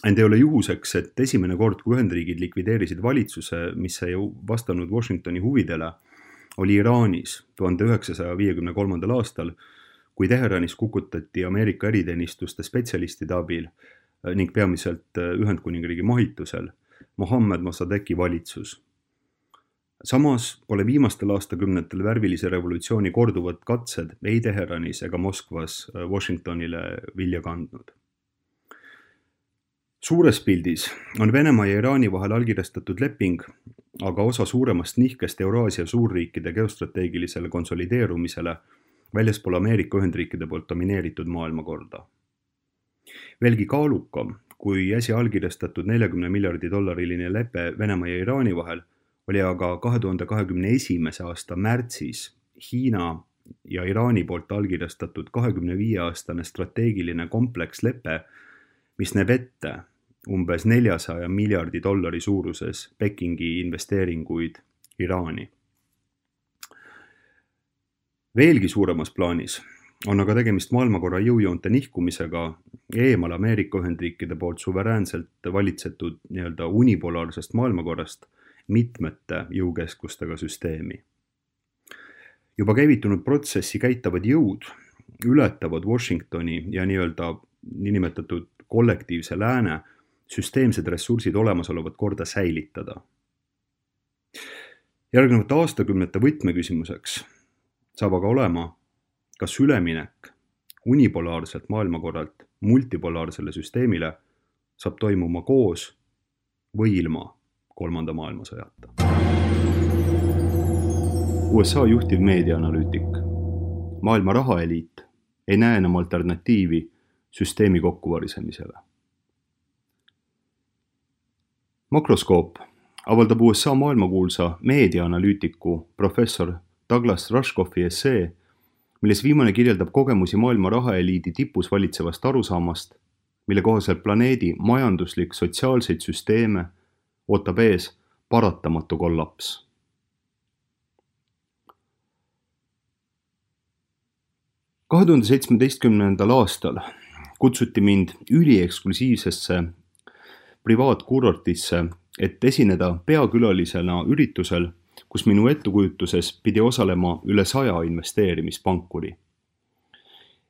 Ent ei ole juhuseks, et esimene kord, kui Ühendriigid likvideerisid valitsuse, mis ei vastanud Washingtoni huvidele, oli Iraanis tuhande üheksasaja viiekümne kolmandal aastal, kui Teheranis kukutati Ameerika eriteenistuste spetsialistide abil ning peamiselt Ühendkuningriigi mahitusel Mohammed Mossadeghi valitsus. Samas pole viimastel aastakümnetel värvilise revolutsiooni korduvad katsed ei Teheranis ega Moskvas Washingtonile vilja kandnud. Suures pildis on Venemaa ja Iraani vahel allkirjastatud leping, aga osa suuremast nihkest Euraasia suurriikide geostrateegilisele konsolideerumisele väljaspool Ameerika Ühendriikide poolt domineeritud maailmakorda. Veelgi kaalukam, kui äsja allkirjastatud neljakümne miljardi dollariline lepe Venemaa ja Iraani vahel, oli aga kahe tuhande kahekümne esimese aasta märtsis Hiina ja Iraani poolt allkirjastatud kahekümne viie aastane strateegiline komplekslepe, mis näeb ette umbes neljasaja miljardi dollari suuruses Pekingi investeeringuid Iraani. Veelgi suuremas plaanis on aga tegemist maailmakorra jõujoonte nihkumisega eemal Ameerika Ühendriikide poolt suveräänselt valitsetud nii-öelda unipolaarsest maailmakorrast mitmete jõukeskustega süsteemi. Juba käivitunud protsessi käitavad jõud ületavad Washingtoni ja nii-öelda niinimetatud kollektiivse lääne süsteemsed ressursid olemasolevat korda säilitada. Järgnevate aastakümnete võtmeküsimuseks saab aga olema, kas üleminek unipolaarselt maailmakorralt multipolaarsele süsteemile saab toimuma koos või ilma kolmanda maailmasõjata. U S A juhtiv meediaanalüütik, maailma rahaeliit ei näe enam alternatiivi süsteemi kokkuvarisemisele. Makroskoop avaldab U S A maailmakuulsa meediaanalüütiku professor Douglas Rushkoffi essee, milles viimane kirjeldab kogemusi maailma rahaeliidi tipus valitsevast arusaamast, mille kohaselt planeedi majanduslik sotsiaalseid süsteeme ootab ees paratamatu kollaps. kahe tuhande seitsmeteistkümnendal aastal kutsuti mind ülieksklusiivsesse privaatkurortisse, et esineda peakülalisena üritusel, kus minu ettukujutuses pidi osalema üle saja investeerimispankuri.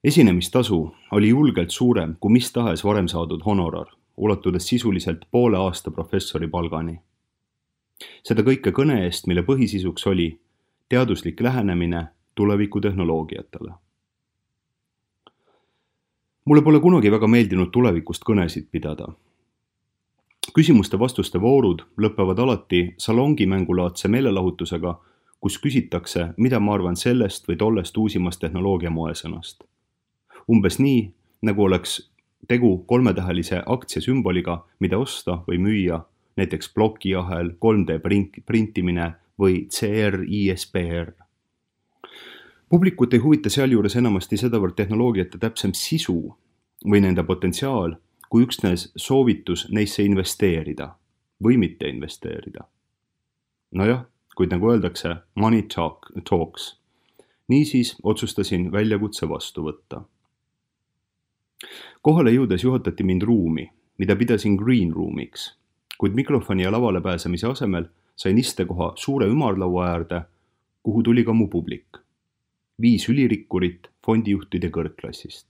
Esinemistasu oli julgelt suurem kui mis tahes varem saadud honorar, ulatudes sisuliselt poole aasta professori palgani. Seda kõike kõne eest, mille põhisisuks oli teaduslik lähenemine tulevikutehnoloogiatele. Mulle pole kunagi väga meeldinud tulevikust kõnesid pidada. Küsimuste-vastuste voorud lõpevad alati salongimängulaadse meelelahutusega, kus küsitakse, mida ma arvan sellest või tollest uusimast tehnoloogia moesõnast. Umbes nii, nagu oleks tegu kolmetähelise aktsiasümboliga, mida osta või müüa, näiteks plokiahel, kolm D printimine või C R I S P R. Publikut ei huvita sealjuures enamasti sedavõrd tehnoloogiate täpsem sisu või nende potentsiaal, kui üksnes soovitus neisse investeerida või mitte investeerida. Nojah, kuid nagu öeldakse, money talk, talks. Niisiis otsustasin väljakutse vastu võtta. Kohale jõudes juhatati mind ruumi, mida pidasin green roomiks, kuid mikrofoni ja lavale pääsemise asemel sain istekoha suure ümarlaua äärde, kuhu tuli ka mu publik. Viis ülirikkurit fondijuhtide kõrgklassist.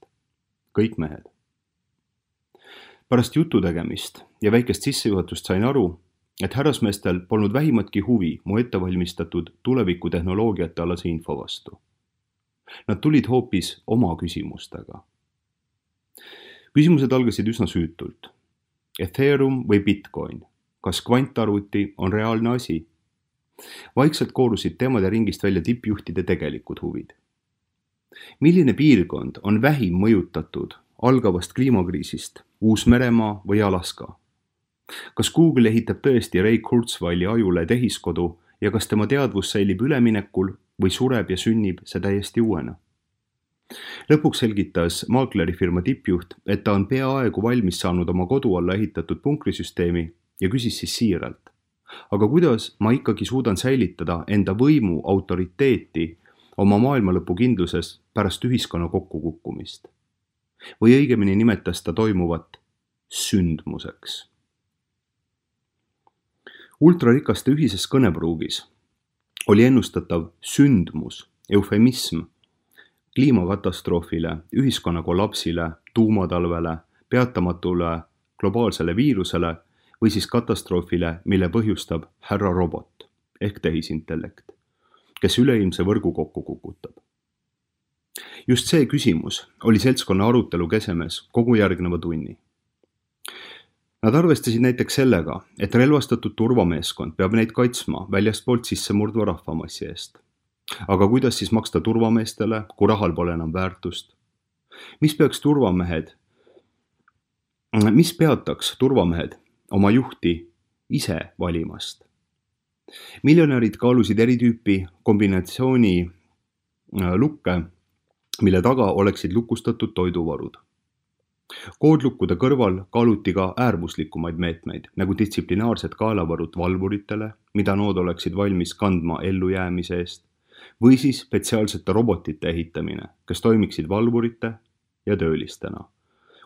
Kõik mehed. Pärast jutu tegemist ja väikest sissejuhatust sain aru, et härrasmeestel polnud vähimatki huvi mu ettevalmistatud tulevikutehnoloogiate alase info vastu. Nad tulid hoopis oma küsimustega. Küsimused algasid üsna süütult. Ethereum või Bitcoin? Kas kvantarvuti on reaalne asi? Vaikselt koorusid teemade ringist välja tippjuhtide tegelikud huvid. Milline piirkond on vähim mõjutatud algavast kliimakriisist, Uus-Meremaa või Alaska? Kas Google ehitab tõesti Ray Kurzweili ajule tehiskodu ja kas tema teadvus säilib üleminekul või sureb ja sünnib see täiesti uuena? Lõpuks selgitas maaklerifirma tippjuht, et ta on peaaegu valmis saanud oma kodu alla ehitatud punkrisüsteemi ja küsis siis siiralt. Aga kuidas ma ikkagi suudan säilitada enda võimu autoriteeti oma maailmalõpu kindluses pärast ühiskonna kokkukukkumist? Või õigemini nimetas ta toimuvat sündmuseks. Ultrarikaste ühises kõnepruugis oli ennustatav sündmus, eufemism, kliimakatastroofile, ühiskonna kollapsile, tuumatalvele, peatamatule globaalsele viirusele või siis katastroofile, mille põhjustab härra robot ehk tehisintellekt, kes üleilmse võrgu kokku kukutab. Just see küsimus oli seltskonna arutelu kesemes kogu järgneva tunni. Nad arvestasid näiteks sellega, et relvastatud turvameeskond peab neid kaitsma väljastpoolt sissemurdva rahvamassi eest. Aga kuidas siis maksta turvameestele, kui rahal pole enam väärtust? Mis peaks turvamehed, mis peataks turvamehed oma juhti ise valimast? Miljonärid kaalusid eri tüüpi kombinatsiooni lukke, mille taga oleksid lukustatud toiduvarud. Koodlukkude kõrval kaaluti ka äärmuslikumaid meetmeid, nagu distsiplinaarsed kaelavarud valvuritele, mida nood oleksid valmis kandma ellujäämise eest, või siis spetsiaalsete robotite ehitamine, kes toimiksid valvurite ja töölistena,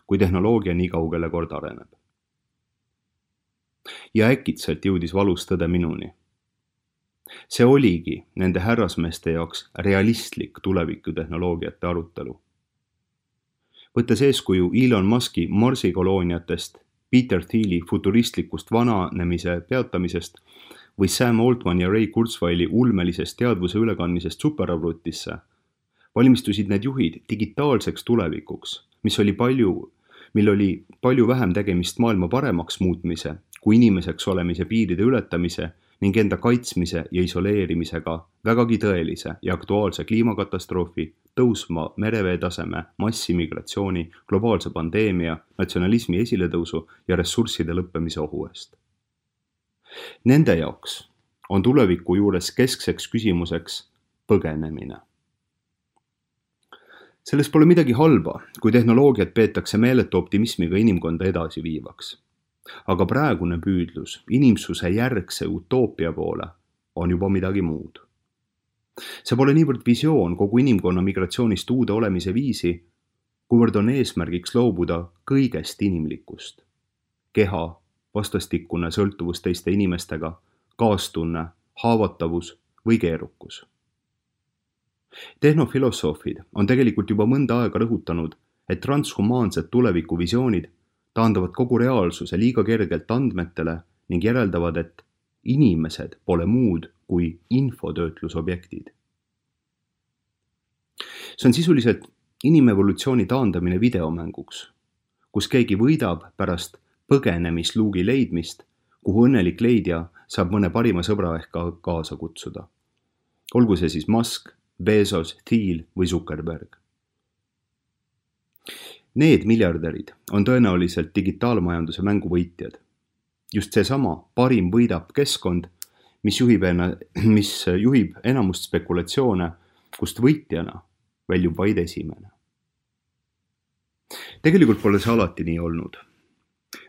kui tehnoloogia nii kaugele kord areneb. Ja äkitselt jõudis valus tõde minuni. See oligi nende härrasmeeste jaoks realistlik tulevikutehnoloogiate arutelu. Võttes eeskuju Elon Muski Marsi kolooniatest, Peter Thieli futuristlikust vananemise peatamisest või Sam Altman ja Ray Kurzweili ulmelisest teadvuse ülekandmisest superarvutisse, valmistusid need juhid digitaalseks tulevikuks, mis oli palju, mil oli palju vähem tegemist maailma paremaks muutmise kui inimeseks olemise piiride ületamise ning enda kaitsmise ja isoleerimisega vägagi tõelise ja aktuaalse kliimakatastroofi, tõusma merevee taseme, massimigratsiooni, globaalse pandeemia, natsionalismi esiletõusu ja ressursside lõppemise ohu eest. Nende jaoks on tuleviku juures keskseks küsimuseks põgenemine. Selles pole midagi halba, kui tehnoloogiat peetakse meeletu optimismiga inimkonda edasi viivaks. Aga praegune püüdlus inimsuse järgse utoopia poole on juba midagi muud. See pole niivõrd visioon kogu inimkonna migratsioonist uude olemise viisi, kuivõrd on eesmärgiks loobuda kõigest inimlikust. Keha, vastastikune sõltuvus teiste inimestega, kaastunne, haavatavus või keerukus. Tehnofilosoofid on tegelikult juba mõnda aega rõhutanud, et transhumaansed tulevikuvisioonid taandavad kogu reaalsuse liiga kergelt andmetele ning järeldavad, et inimesed pole muud kui infotöötlusobjektid. See on sisuliselt inimevolutsiooni taandamine videomänguks, kus keegi võidab pärast põgenemisluugi leidmist, kuhu õnnelik leidja saab mõne parima sõbra ehk ka kaasa kutsuda. Olgu see siis Musk, Bezos, Thiel või Zuckerberg. Need miljardärid on tõenäoliselt digitaalmajanduse mänguvõitjad. Just seesama parim võidab keskkond, mis juhib, ena, mis juhib enamust spekulatsioone, kust võitjana väljub vaid esimene. Tegelikult pole see alati nii olnud.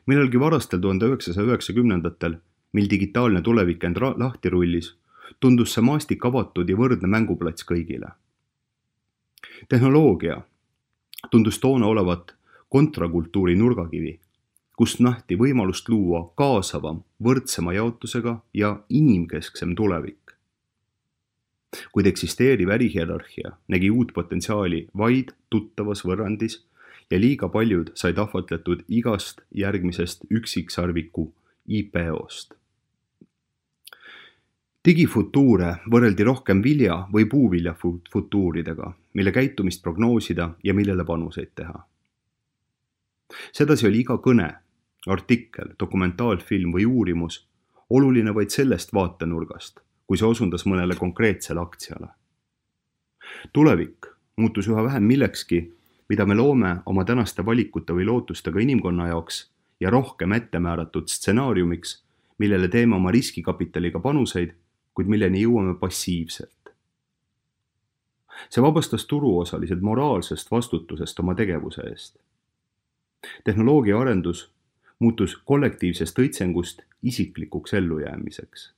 Millalgi varastel tuhande üheksasaja üheksakümnendatel, mil digitaalne tulevik end lahti rullis, tundus see maastik avatud ja võrdne mänguplats kõigile. Tehnoloogia tundus toona olevat kontrakultuuri nurgakivi, kust nähti võimalust luua kaasavam, võrdsema jaotusega ja inimkesksem tulevik. Kuid eksisteeriv ärihierarhia nägi uut potentsiaali vaid tuttavas võrrandis ja liiga paljud said ahvatletud igast järgmisest üksiksarviku I P O-st. Digifutuure võrreldi rohkem vilja või puuvilja futuuridega, mille käitumist prognoosida ja millele panuseid teha. Sedasi oli iga kõne, artikkel, dokumentaalfilm või uurimus oluline vaid sellest vaatenurgast, kui see osundas mõnele konkreetsele aktsiale. Tulevik muutus üha vähem millekski, mida me loome oma tänaste valikute või lootustega inimkonna jaoks ja rohkem ettemääratud stsenaariumiks, millele teeme oma riskikapitaliga panuseid, kuid milleni jõuame passiivselt. See vabastas turuosalised moraalsest vastutusest oma tegevuse eest. Tehnoloogia arendus muutus kollektiivsest õitsengust isiklikuks ellujäämiseks.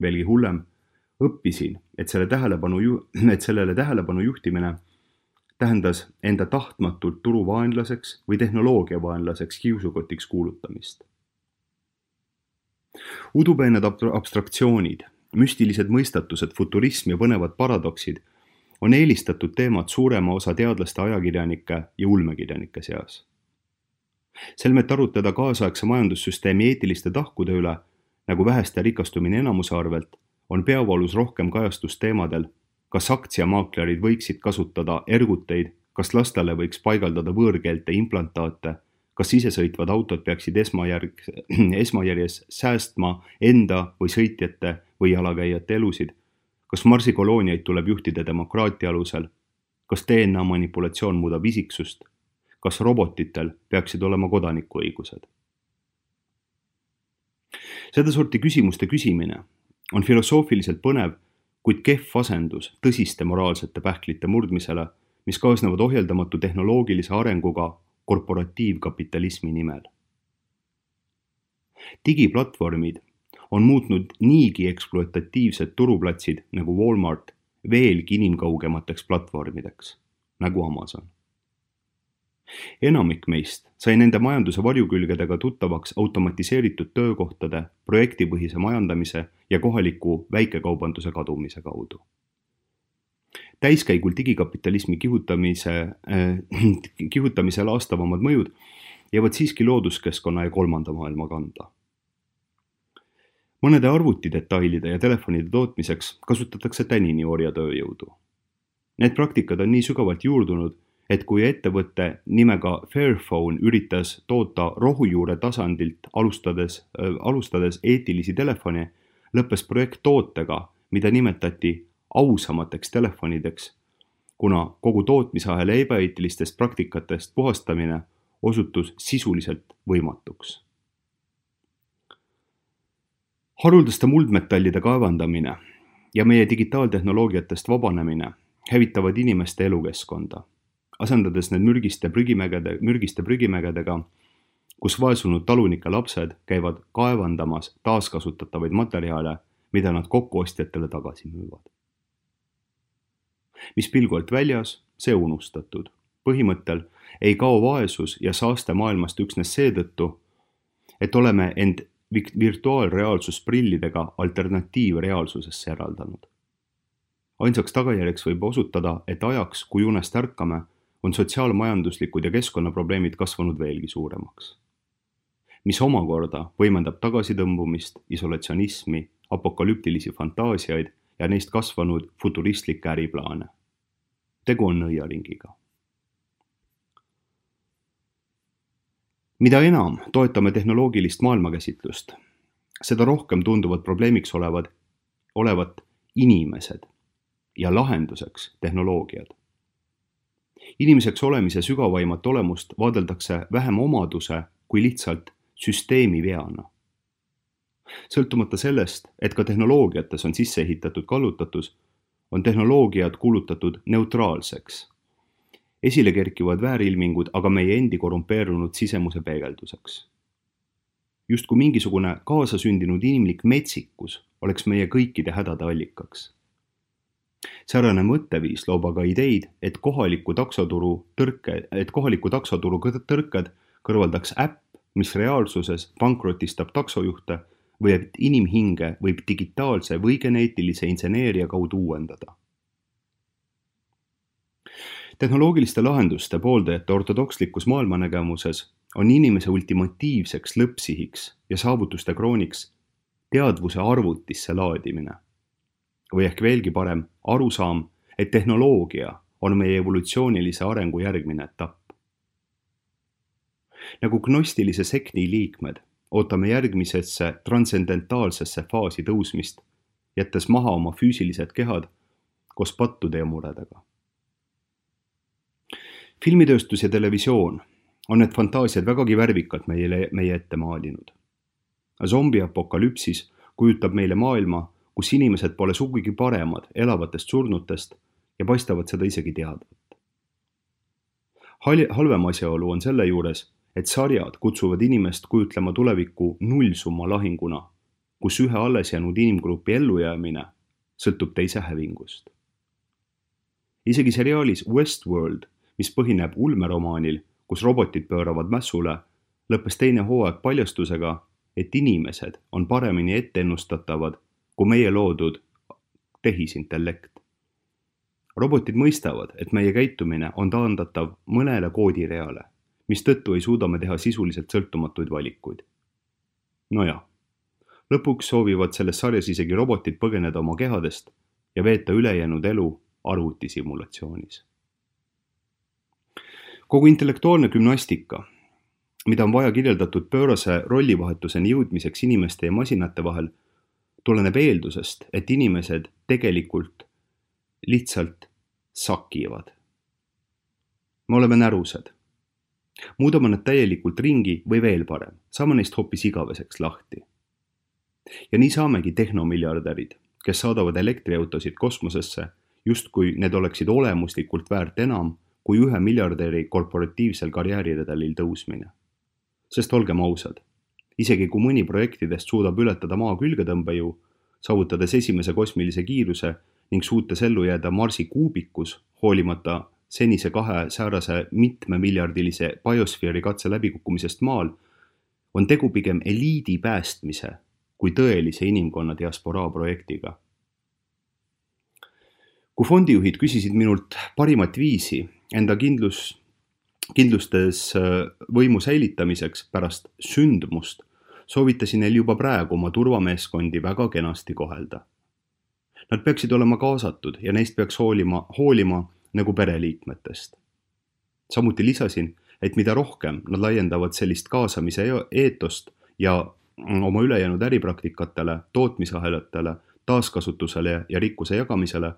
Veelgi hullem, õppisin, et, selle tähelepanu ju, et sellele tähelepanu juhtimine tähendas enda tahtmatult turuvaenlaseks või tehnoloogiavaenlaseks kiusukotiks kuulutamist. Udupeened abstraktsioonid, müstilised mõistatused, futurism ja põnevad paradoksid on eelistatud teemad suurema osa teadlaste, ajakirjanike ja ulmekirjanike seas. Selmet arutada kaasaegse majandussüsteemi eetiliste tahkude üle, nagu väheste rikastumine enamuse arvelt, on peavoolus rohkem kajastust teemadel, kas aktsiamaaklerid võiksid kasutada erguteid, kas lastele võiks paigaldada võõrkeelte implantaate, kas isesõitvad autod peaksid esmajärg, esmajärjes säästma enda või sõitjate või jalakäijate elusid, kas marsikolooniaid tuleb juhtida demokraatia alusel, kas D N A manipulatsioon muudab isiksust, kas robotitel peaksid olema kodanikuõigused. Sedasorti küsimuste küsimine on filosoofiliselt põnev, kuid kehv asendus tõsiste moraalsete pähklite murdmisele, mis kaasnevad ohjeldamatu tehnoloogilise arenguga korporatiivkapitalismi nimel. Digiplatvormid on muutnud niigi ekspluatatiivsed turuplatsid nagu Walmart veelgi inimkaugemateks platvormideks, nagu Amazon. Enamik meist sai nende majanduse varjukülgedega tuttavaks automatiseeritud töökohtade, projektipõhise majandamise ja kohaliku väikekaubanduse kadumise kaudu. Täiskäigul digikapitalismi kihutamise, äh, kihutamise laastavamad mõjud jäävad siiski looduskeskkonna ja kolmanda maailma kanda. Mõnede arvutidetailide ja telefonide tootmiseks kasutatakse tänini orjatööjõudu. Need praktikad on nii sügavalt juurdunud, et kui ettevõtte nimega Fairphone üritas toota rohujuure tasandilt alustades, äh, alustades eetilisi telefone, lõppes projekt tootega, mida nimetati ausamateks telefonideks, kuna kogu tootmisahela ebaeetilistest praktikatest puhastamine osutus sisuliselt võimatuks. Haruldaste muldmetallide kaevandamine ja meie digitaaltehnoloogiatest vabanemine hävitavad inimeste elukeskkonda, asendades need mürgiste prügimägede, mürgiste prügimägedega, kus vaesunud talunike lapsed käivad kaevandamas taaskasutatavaid materjale, mida nad kokkuostjatele tagasi müüvad. Mis pilgult väljas, see unustatud. Põhimõttel ei kao vaesus ja saaste maailmast üksnes seetõttu, et oleme end virtuaalreaalsusprillidega alternatiivreaalsusesse eraldanud. Ainsaks tagajärjeks võib osutada, et ajaks, kui unest ärkame, on sotsiaalmajanduslikud ja keskkonnaprobleemid kasvanud veelgi suuremaks. Mis omakorda võimendab tagasitõmbumist, isolatsionismi, apokalüptilisi fantaasiaid ja neist kasvanud futuristlikke äriplaane. Tegu on nõiaringiga. Mida enam toetame tehnoloogilist maailmakäsitlust, seda rohkem tunduvad probleemiks olevad, olevat inimesed ja lahenduseks tehnoloogiad. Inimeseks olemise sügavaimat olemust vaadeldakse vähem omaduse kui lihtsalt süsteemi veana. Sõltumata sellest, et ka tehnoloogiates on sisse ehitatud kallutatus, on tehnoloogiad kuulutatud neutraalseks. Esile kerkivad väärilmingud aga meie endi korrumpeerunud sisemuse peegelduseks. Just kui mingisugune kaasasündinud inimlik metsikus oleks meie kõikide hädade allikaks. Säärane mõtteviis loob aga ideid, et kohaliku taksoturu tõrke, et kohaliku taksoturu tõrked kõrvaldaks äpp, mis reaalsuses pankrotistab taksojuhte või et inimhinge võib digitaalse või geneetilise inseneeria kaudu uuendada. Tehnoloogiliste lahenduste pooldajate ortodokslikus maailmanägemuses on inimese ultimatiivseks lõppsihiks ja saavutuste krooniks teadvuse arvutisse laadimine. Või ehk veelgi parem arusaam, et tehnoloogia on meie evolutsioonilise arengu järgmine etapp. Nagu gnostilise sekti liikmed ootame järgmisesse transcendentaalsesse faasi tõusmist, jättes maha oma füüsilised kehad koos pattude ja muredega. Filmitööstus ja televisioon on need fantaasiad vägagi värvikalt meile, meie ette maalinud. Zombiapokalüpsis kujutab meile maailma, kus inimesed pole sugugi paremad elavatest surnutest ja paistavad seda isegi teadvat. Halvem asjaolu on selle juures, et sarjad kutsuvad inimest kujutlema tulevikku nullsumma lahinguna, kus ühe alles jäänud inimgrupi ellujäämine sõltub teise hävingust. Isegi seriaalis Westworld, mis põhineb ulmeromaanil, kus robotid pööravad mässule, lõppes teine hooaeg paljastusega, et inimesed on paremini etteennustatavad kui meie loodud tehisintellekt. Robotid mõistavad, et meie käitumine on taandatav mõnele koodireale, mis tõttu ei suuda me teha sisuliselt sõltumatuid valikuid. Nojah, lõpuks soovivad selles sarjas isegi robotid põgeneda oma kehadest ja veeta ülejäänud elu arvutisimulatsioonis. Kogu intellektuaalne gümnastika, mida on vaja kirjeldatud pöörase rollivahetuseni jõudmiseks inimeste ja masinate vahel, tuleneb eeldusest, et inimesed tegelikult lihtsalt sakivad. Me oleme närused. Muudame nad täielikult ringi või veel parem, saame neist hoopis igaveseks lahti. Ja nii saamegi tehnomiljardärid, kes saadavad elektriautosid kosmosesse, justkui need oleksid olemuslikult väärt enam kui ühe miljardäri korporatiivsel karjääriredelil tõusmine. Sest olgem ausad, isegi kui mõni projektidest suudab ületada maa külgetõmbejõu, saavutades esimese kosmilise kiiruse ning suutes ellu jääda Marsi kuubikus, hoolimata senise kahe säärase mitmemiljardilise biosfeeri katse läbikukkumisest maal, on tegu pigem eliidi päästmise kui tõelise inimkonna diasporaa projektiga. Kui fondijuhid küsisid minult parimat viisi enda kindlus, kindlustes võimu säilitamiseks pärast sündmust, soovitasin neil juba praegu oma turvameeskondi väga kenasti kohelda. Nad peaksid olema kaasatud ja neist peaks hoolima, hoolima nagu pereliikmetest. Samuti lisasin, et mida rohkem nad laiendavad sellist kaasamise eetost ja oma ülejäänud äripraktikatele, tootmisahelatele, taaskasutusele ja rikkuse jagamisele,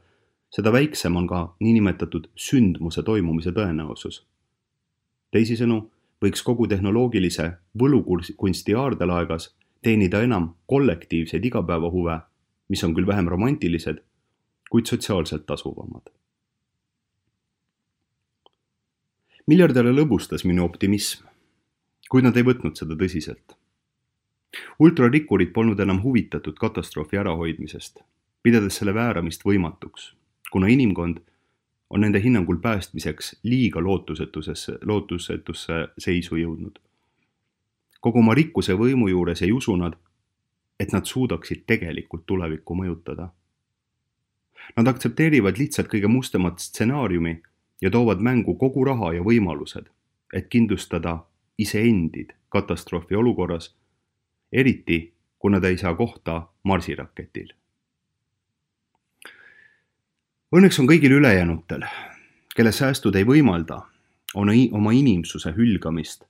seda väiksem on ka niinimetatud sündmuse toimumise tõenäosus. Teisisõnu, võiks kogu tehnoloogilise võlukunsti aardelaegas teenida enam kollektiivseid igapäevahuve, mis on küll vähem romantilised, kuid sotsiaalselt tasuvamad. Miljardäre lõbustas minu optimism, kuid nad ei võtnud seda tõsiselt. Ultrarikkurid polnud enam huvitatud katastroofi ärahoidmisest, pidades selle vääramist võimatuks, kuna inimkond on nende hinnangul päästmiseks liiga lootusetusesse, lootusetusse seisu jõudnud. Kogu oma rikkuse võimu juures ei usu nad, et nad suudaksid tegelikult tulevikku mõjutada. Nad aktsepteerivad lihtsalt kõige mustemat stsenaariumi ja toovad mängu kogu raha ja võimalused, et kindlustada iseendid katastroofi olukorras, eriti kui nad ei saa kohta Marsi-raketil. Õnneks on kõigil ülejäänutel, kelle säästud ei võimalda, on oma inimsuse hülgamist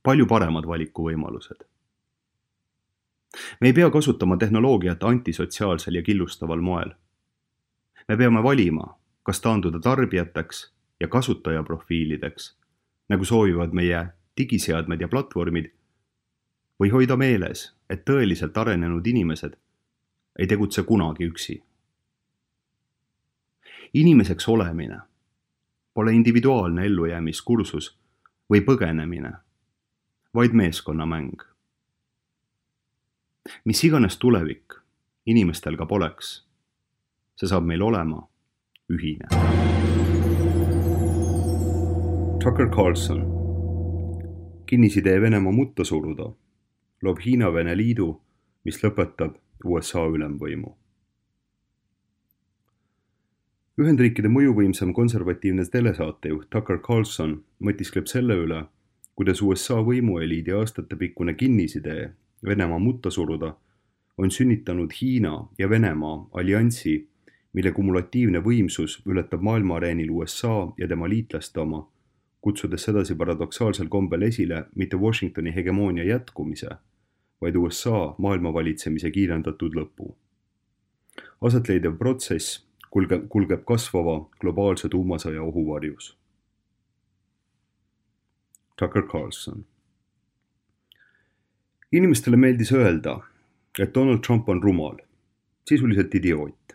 palju paremad valikuvõimalused. Me ei pea kasutama tehnoloogiat antisotsiaalsel ja killustaval moel. Me peame valima, kas taanduda tarbijateks ja kasutajaprofiilideks, nagu soovivad meie digiseadmed ja platvormid, või hoida meeles, et tõeliselt arenenud inimesed ei tegutse kunagi üksi. Inimeseks olemine pole individuaalne ellujäämiskursus või põgenemine, vaid meeskonnamäng. Mis iganes tulevik inimestel ka poleks, see saab meil olema ühine. Tucker Carlson. Kinnisidee Venemaa mutta suruda loob Hiina-Vene liidu, mis lõpetab U S A ülemvõimu. Ühendriikide mõjuvõimsam konservatiivne telesaatejuht Tucker Carlson mõtiskleb selle üle, kuidas U S A võimueliidi aastatepikkune kinnisidee Venemaa mutta suruda on sünnitanud Hiina ja Venemaa alliansi, mille kumulatiivne võimsus ületab maailmaareenil U S A ja tema liitlaste oma, kutsudes sedasi paradoksaalsel kombel esile mitte Washingtoni hegemoonia jätkumise, vaid U S A maailmavalitsemise kiirendatud lõpu. Asetleidev protsess kulge, kulgeb kasvava globaalse tuumasõja ohuvarjus. Tucker Carlson. Inimestele meeldis öelda, et Donald Trump on rumal, sisuliselt idioot.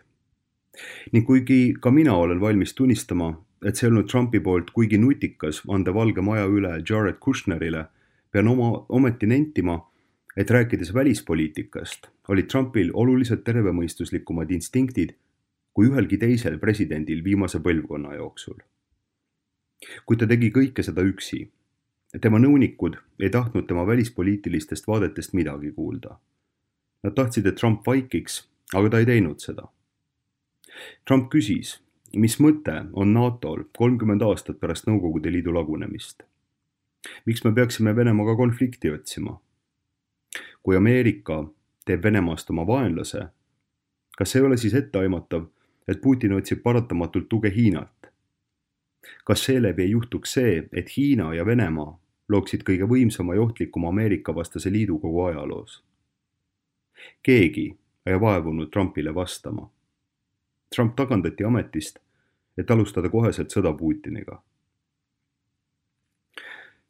Ning kuigi ka mina olen valmis tunnistama, et see olnud Trumpi poolt kuigi nutikas anda Valge Maja üle Jared Kushnerile, pean oma ometi nentima, et rääkides välispoliitikast, olid Trumpil oluliselt tervemõistuslikumad instinktid kui ühelgi teisel presidendil viimase põlvkonna jooksul. Kuid ta tegi kõike seda üksi. Tema nõunikud ei tahtnud tema välispoliitilistest vaadetest midagi kuulda. Nad tahtsid, et Trump vaikiks, aga ta ei teinud seda. Trump küsis, mis mõte on NATOl kolmkümmend aastat pärast Nõukogude Liidu lagunemist? Miks me peaksime Venemaaga konflikti otsima? Kui Ameerika teeb Venemaast oma vaenlase, kas ei ole siis etteaimatav, et Putin otsib paratamatult tuge Hiinalt? Kas seeläbi ei juhtuks see, et Hiina ja Venemaa looksid kõige võimsama ja ohtlikuma Ameerika vastase liidu kogu ajaloos? Keegi ei vaevunud Trumpile vastama. Trump tagandati ametist, et alustada koheselt sõda Putiniga.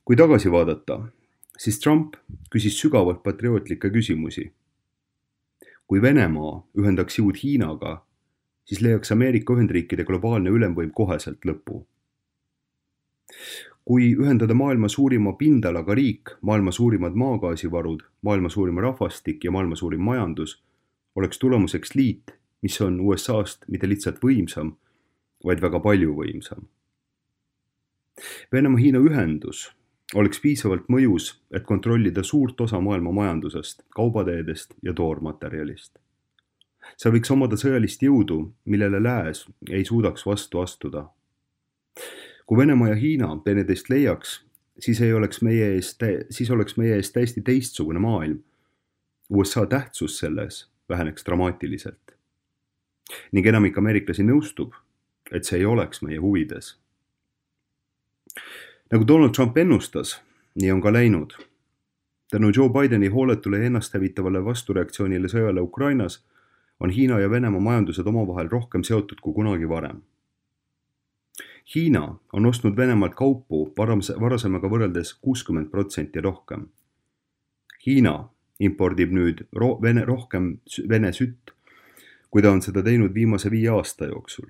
Kui tagasi vaadata, siis Trump küsis sügavalt patriootlikke küsimusi. Kui Venemaa ühendaks jõud Hiinaga, siis leiaks Ameerika Ühendriikide globaalne ülemvõim koheselt lõpu. Kui ühendada maailma suurima pindalaga riik, maailma suurimad maagaasivarud, maailma suurim rahvastik ja maailma suurim majandus, oleks tulemuseks liit, mis on U S A-st mitte lihtsalt võimsam, vaid väga palju võimsam. Venemaa-Hiina ühendus oleks piisavalt mõjus, et kontrollida suurt osa maailma majandusest, kaubateedest ja toormaterjalist. See võiks omada sõjalist jõudu, millele lääs ei suudaks vastu astuda. Kui Venemaa ja Hiina teineteist leiaks, siis, ei oleks meie ees, siis oleks meie ees täiesti teistsugune maailm. U S A tähtsus selles väheneks dramaatiliselt. Ning enamik ameeriklasi nõustub, et see ei oleks meie huvides. Nagu Donald Trump ennustas, nii on ka läinud. Tänu Joe Bideni hooletule ja ennasthävitavale vastureaktsioonile sõjale Ukrainas on Hiina ja Venemaa majandused omavahel rohkem seotud kui kunagi varem. Hiina on ostnud Venemaalt kaupu varasemaga võrreldes kuuskümmend protsenti rohkem. Hiina impordib nüüd ro- vene, rohkem Vene sütt, kui ta on seda teinud viimase viie aasta jooksul.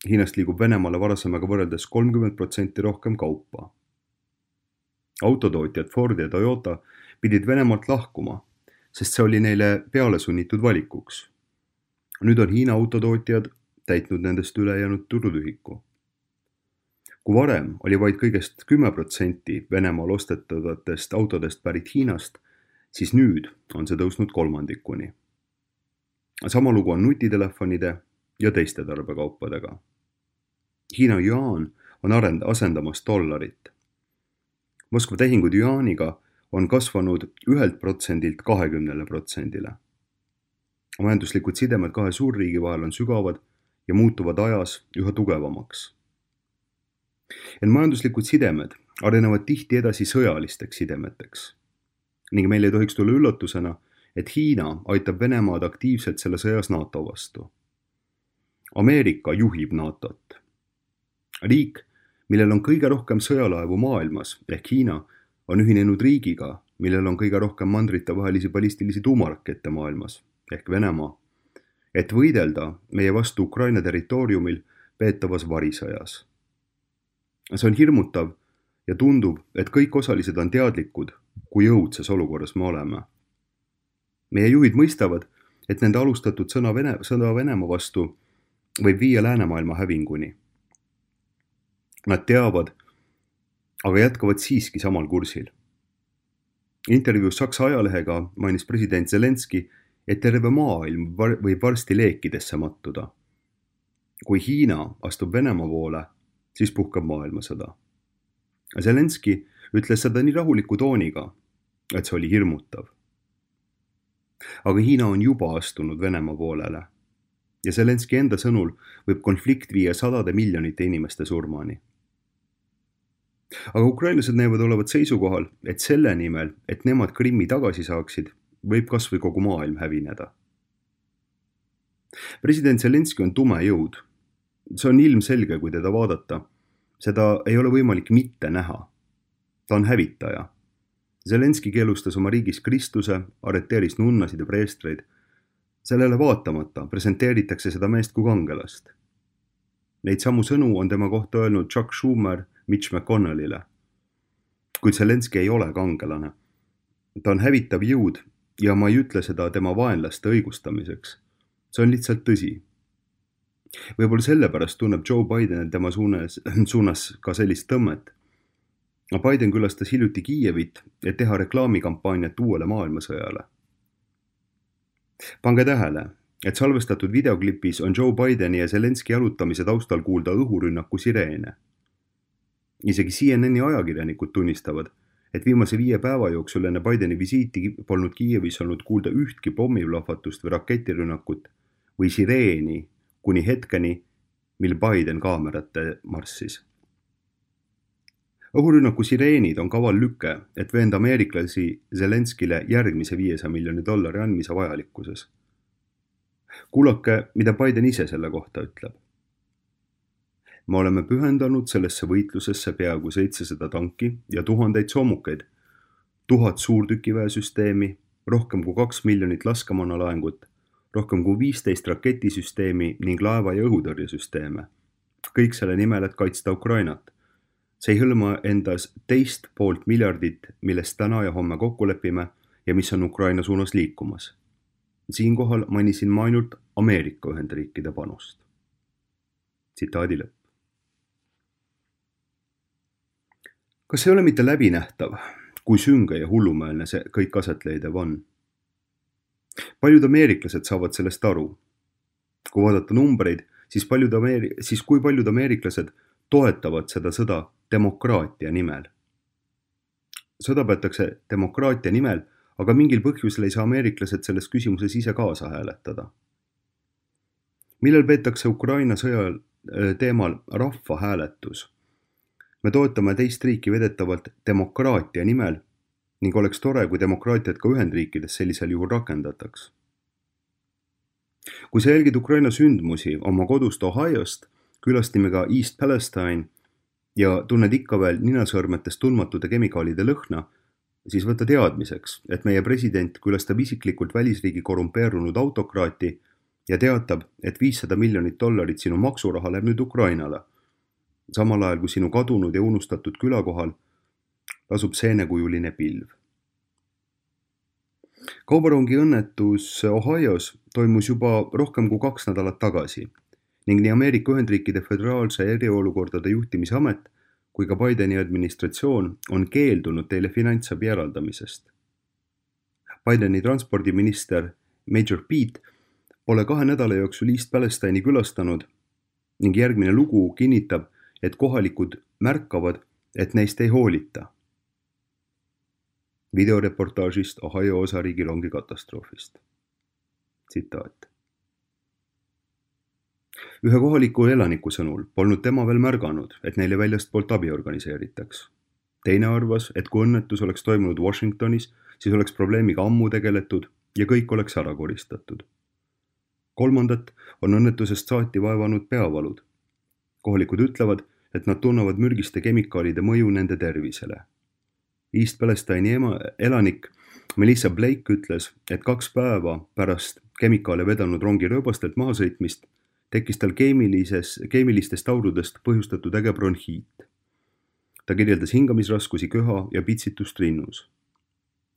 Hiinast liigub Venemaale varasemaga võrreldes kolmkümmend protsenti rohkem kaupa. Autotootjad Ford ja Toyota pidid Venemaalt lahkuma, sest see oli neile peale sunnitud valikuks. Nüüd on Hiina autotootjad täitnud nendest ülejäänud turutühiku. Kui varem oli vaid kõigest kümme protsenti Venemaal ostetavatest autodest pärit Hiinast, siis nüüd on see tõusnud kolmandikuni. Sama lugu on nutitelefonide ja teiste tarbekaupadega. Hiina juaan on arend, asendamas dollarit. Moskva tehingud juaaniga on kasvanud ühelt protsendilt kahekümnele protsendile. Majanduslikud sidemed kahe suurriigi vahel on sügavad ja muutuvad ajas üha tugevamaks. Ent majanduslikud sidemed arenevad tihti edasi sõjalisteks sidemeteks. Ning meil ei tohiks tulla üllatusena, et Hiina aitab Venemaad aktiivselt selle sõjas NATO vastu. Ameerika juhib NATOt. Riik, millel on kõige rohkem sõjalaevu maailmas, ehk Hiina, on ühinenud riigiga, millel on kõige rohkem mandrite vahelisi ballistilisi tuumarakette maailmas, ehk Venemaa, et võidelda meie vastu Ukraina territooriumil peetavas varisõjas. See on hirmutav ja tundub, et kõik osalised on teadlikud, kui õudses olukorras me oleme. Meie juhid mõistavad, et nende alustatud sõna, Vene, sõna Venemaa vastu võib viia läänemaailma hävinguni. Nad teavad, aga jätkavad siiski samal kursil. Intervjuus Saksa ajalehega mainis president Zelenski, et terve maailm võib varsti leekidesse mattuda. Kui Hiina astub Venemaa poole, siis puhkab maailmasõda. Zelenski ütles seda nii rahuliku tooniga, et see oli hirmutav. Aga Hiina on juba astunud Venemaa poolele ja Zelenski enda sõnul võib konflikt viia sadade miljonite inimeste surmani. Aga ukrainlased näevad olevat seisukohal, et selle nimel, et nemad Krimmi tagasi saaksid, võib kas või kogu maailm hävineda. President Zelenski on tume jõud. See on ilmselge, kui teda vaadata. Seda ei ole võimalik mitte näha. Ta on hävitaja. Zelenski keelustas oma riigis Kristuse, arreteeris nunnasid ja preestreid. Sellele vaatamata presenteeritakse seda meest kui kangelast. Neid samu sõnu on tema kohta öelnud Chuck Schumer Mitch McConnellile. Kuid Zelenski ei ole kangelane. Ta on hävitav jõud ja ma ei ütle seda tema vaenlaste õigustamiseks. See on lihtsalt tõsi. Võib-olla sellepärast tunneb Joe Biden tema suunas, suunas ka sellist tõmmet. Biden külastas hiljuti Kiievit, et teha reklaamikampaaniat uuele maailmasõjale. Pange tähele, et salvestatud videoklipis on Joe Bideni ja Zelenski jalutamise taustal kuulda õhurünnaku sireene. Isegi C N N-i ajakirjanikud tunnistavad, et viimase viie päeva jooksul enne Bideni visiiti polnud Kiievis olnud kuulda ühtki pommiplahvatust või raketirünnakut või sireeni kuni hetkeni, mil Biden kaamerate marssis. Õhurünnaku sireenid on kaval lüke, et veenda ameeriklasi Zelenskile järgmise viiesaja miljoni dollari andmise vajalikkuses. Kuulake, mida Biden ise selle kohta ütleb. Me oleme pühendanud sellesse võitlusesse peaaegu seitsesada tanki ja tuhandeid soomukeid, tuhat suurtükiväesüsteemi, rohkem kui kaks miljonit laskemoonalaengut, rohkem kui viisteist raketisüsteemi ning laeva- ja õhutõrjesüsteeme. Kõik selle nimel, et kaitsta Ukrainat. See ei hõlma endas teist poolt miljardit, millest täna ja homme kokku lepime ja mis on Ukraina suunas liikumas. Siinkohal mainisin ma ainult Ameerika Ühendriikide panust. Tsitaadi lõpp. Kas ei ole mitte läbinähtav, kui sünge ja hullumeelne see kõik aset leidev on? Paljud ameeriklased saavad sellest aru. Kui vaadata numbreid, siis, paljud Ameeri- siis kui paljud ameeriklased toetavad seda sõda demokraatia nimel. Sõda peetakse demokraatia nimel, aga mingil põhjusel ei saa ameeriklased selles küsimuses ise kaasa hääletada. Millal peetakse Ukraina sõja teemal rahvahääletus? Me toetame teist riiki vedetavalt demokraatia nimel ning oleks tore, kui demokraatiat ka Ühendriikides sellisel juhul rakendataks. Kui sa jälgid Ukraina sündmusi oma kodust Ohiost, külastime ka East Palestine ja tunned ikka veel ninasõrmetest tundmatute kemikaalide lõhna, siis võta teadmiseks, et meie president külastab isiklikult välisriigi korrumpeerunud autokraati ja teatab, et viissada miljonit dollarit sinu maksuraha läheb nüüd Ukrainale. Samal ajal kui sinu kadunud ja unustatud külakohal lasub seenekujuline pilv. Kaubarongi õnnetus Ohios toimus juba rohkem kui kaks nädalat tagasi ning nii Ameerika Ühendriikide Föderaalse eriolukordade juhtimisamet kui ka Bideni administratsioon on keeldunud teile finantsabi eraldamisest. Bideni transpordiminister Major Pete pole kahe nädala jooksul East Palestine'i külastanud ning järgmine lugu kinnitab, et kohalikud märkavad, et neist ei hoolita. Videoreportaažist Ohio osariigi rongi katastroofist. Tsitaat. Ühe kohaliku elaniku sõnul polnud tema veel märganud, et neile väljast poolt abi organiseeritaks. Teine arvas, et kui õnnetus oleks toimunud Washingtonis, siis oleks probleemiga ammu tegeletud ja kõik oleks ära koristatud. Kolmandat on õnnetusest saati vaevanud peavalud. Kohalikud ütlevad, et nad tunnevad mürgiste kemikaalide mõju nende tervisele. East Palestine'i elanik Melissa Blake ütles, et kaks päeva pärast kemikaale vedanud rongi rööbastelt mahasõitmist tekkis tal keemilises, keemilistest aurudest põhjustatud äge bronhiit. Ta kirjeldas hingamisraskusi, köha ja pitsitust rinnus.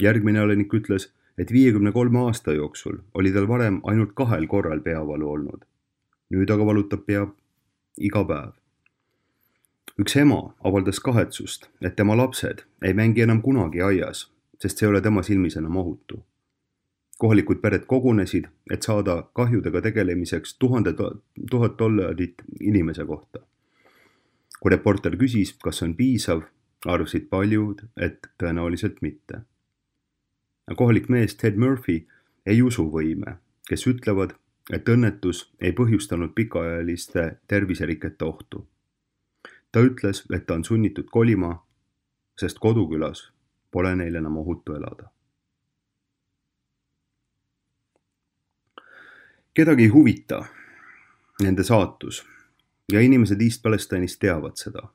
Järgmine elanik ütles, et viiekümne kolme aasta jooksul oli tal varem ainult kahel korral peavalu olnud. nüüd aga valutab pea iga päev. Üks ema avaldas kahetsust, et tema lapsed ei mängi enam kunagi aias, sest see ei ole tema silmis enam ohutu. Kohalikud pered kogunesid, et saada kahjudega tegelemiseks tuhande tuhat dollarit inimese kohta. Kui reporter küsis, kas on piisav, arvasid paljud, et tõenäoliselt mitte. Kohalik mees Ted Murphy ei usu võime, kes ütlevad, et õnnetus ei põhjustanud pikaajaliste terviserikete ohtu. Ta ütles, et ta on sunnitud kolima, sest kodukülas pole neil enam ohutu elada. Kedagi ei huvita nende saatus ja inimesed East Palestine'is teavad seda.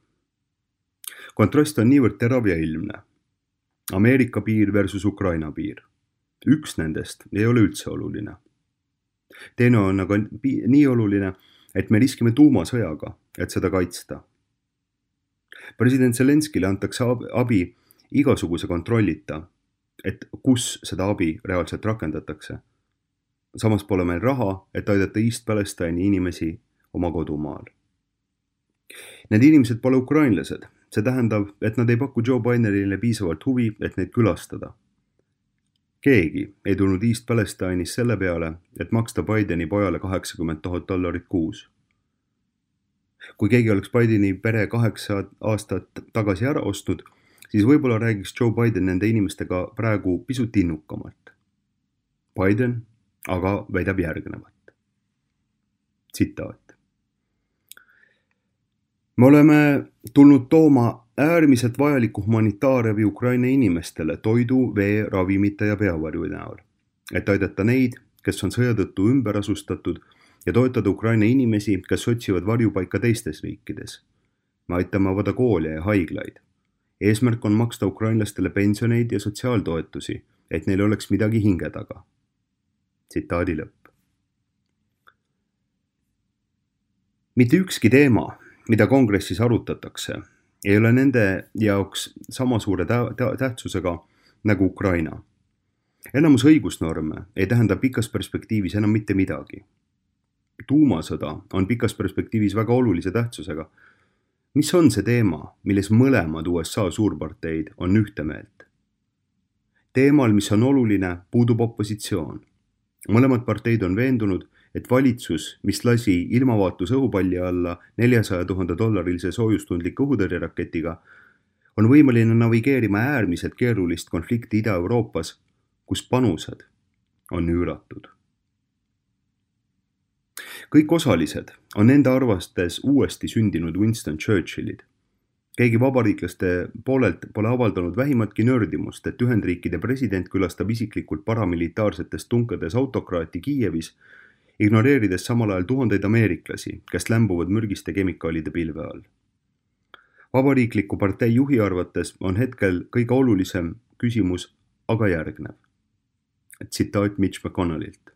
Kontrast on niivõrd terav ja ilmne. Ameerika piir versus Ukraina piir. Üks nendest ei ole üldse oluline. Teine on aga nii oluline, et me riskime tuumasõjaga, et seda kaitsta. President Zelenskile antakse abi igasuguse kontrollita, et kus seda abi reaalselt rakendatakse. Samas pole meil raha, et aidata East Palestine'i inimesi oma kodumaal. Need inimesed pole ukrainlased. See tähendab, et nad ei paku Joe Bidenile piisavalt huvi, et neid külastada. Keegi ei tulnud East Palestine'is selle peale, et maksta Bideni pojale kaheksakümmend tuhat dollarit kuus. Kui keegi oleks Bideni pere kaheksa aastat tagasi ära ostnud, siis võib-olla räägiks Joe Biden nende inimestega praegu pisut innukamalt. Biden aga väidab järgnevat. Tsitaat. Me oleme tulnud tooma äärmiselt vajaliku humanitaarabi Ukraina inimestele toidu, vee, ravimite ja peavarju näol, et aidata neid, kes on sõja tõttu ümber asustatud ja toetada Ukraina inimesi, kes otsivad varjupaika teistes riikides. Me aitame avada koole ja haiglaid. Eesmärk on maksta ukrainlastele pensioneid ja sotsiaaltoetusi, et neil oleks midagi hinge taga. Tsitaadi lõpp. Mitte ükski teema, mida kongressis arutatakse, ei ole nende jaoks sama suure tähtsusega nagu Ukraina. Enamus õigusnorme ei tähenda pikas perspektiivis enam mitte midagi. Tuumasõda on pikas perspektiivis väga olulise tähtsusega. Mis on see teema, milles mõlemad U S A suurparteid on ühte meelt? Teemal, mis on oluline, puudub opositsioon. Mõlemad parteid on veendunud, et valitsus, mis lasi ilmavaatus õhupalli alla neljasaja tuhande dollarilise soojustundliku õhutõrjeraketiga, on võimeline navigeerima äärmiselt keerulist konflikti Ida-Euroopas, kus panused on üüratud. Kõik osalised on nende arvastes uuesti sündinud Winston Churchillid. Keegi vabariiklaste poolelt pole avaldanud vähimatki nördimust, et Ühendriikide president külastab isiklikult paramilitaarsetes tunkades autokraati Kiievis, ignoreerides samal ajal tuhandeid ameeriklasi, kes lämbuvad mürgiste kemikaalide pilve all. Vabariikliku partei juhi arvates on hetkel kõige olulisem küsimus aga järgnev. Tsitaat Mitch McConnellilt.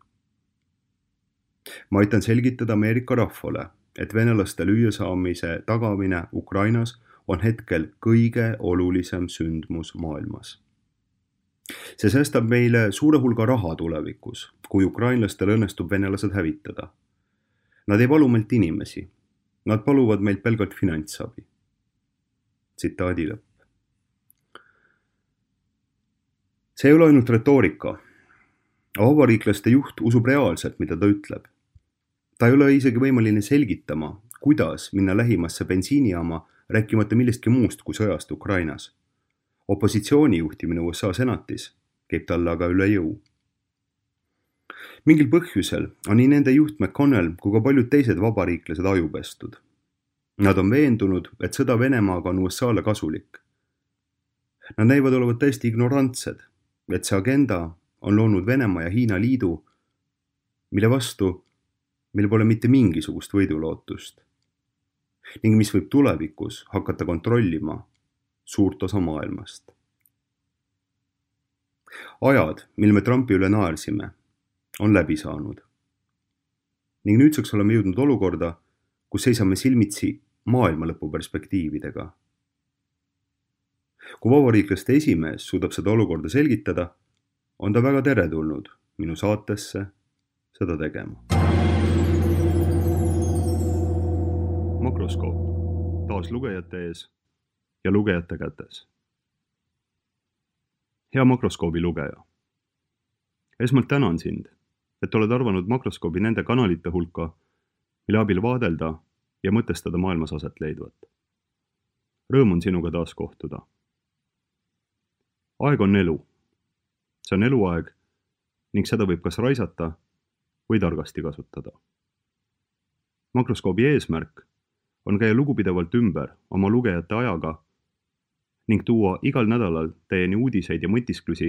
Ma aitan selgitada Ameerika rahvale, et venelaste lüüasaamise tagamine Ukrainas on hetkel kõige olulisem sündmus maailmas. See säästab meile suure hulga raha tulevikus, kui ukrainlastel õnnestub venelased hävitada. Nad ei palu meilt inimesi. Nad paluvad meilt pelgalt finantsabi. Tsitaadi lõpp. See ei ole ainult retoorika. Vabariiklaste juht usub reaalselt, mida ta ütleb. Ta ei ole isegi võimeline selgitama, kuidas minna lähimasse bensiinijaama, rääkimata millestki muust kui sõjast Ukrainas. Opositsiooni juhtimine U S A senatis käib talle aga üle jõu. Mingil põhjusel on nii nende juht McConnell kui ka paljud teised vabariiklased ajupestud. Nad on veendunud, et sõda Venemaaga on U S A-le kasulik. Nad näivad olevat täiesti ignorantsed, et see agenda on loonud Venemaa ja Hiina liidu, mille vastu meil pole mitte mingisugust võidulootust ning mis võib tulevikus hakata kontrollima suurt osa maailmast. Ajad, mil me Trumpi üle naersime, on läbi saanud. Ning nüüdseks oleme jõudnud olukorda, kus seisame silmitsi maailmalõpu perspektiividega. Kui vabariiklaste esimees suudab seda olukorda selgitada, on ta väga teretulnud minu saatesse seda tegema. Makroskoop, taas lugejate ees ja lugejate kätes. Hea Makroskoobi lugeja. Esmalt tänan sind, et oled arvanud Makroskoobi nende kanalite hulka, mille abil vaadelda ja mõtestada maailmas aset leidvat. Rõõm on sinuga taas kohtuda. Aeg on elu. See on eluaeg ning seda võib kas raisata või targasti kasutada. Makroskoobi eesmärk on käia lugupidevalt ümber oma lugejate ajaga ning tuua igal nädalal teieni uudiseid ja mõtisklusi,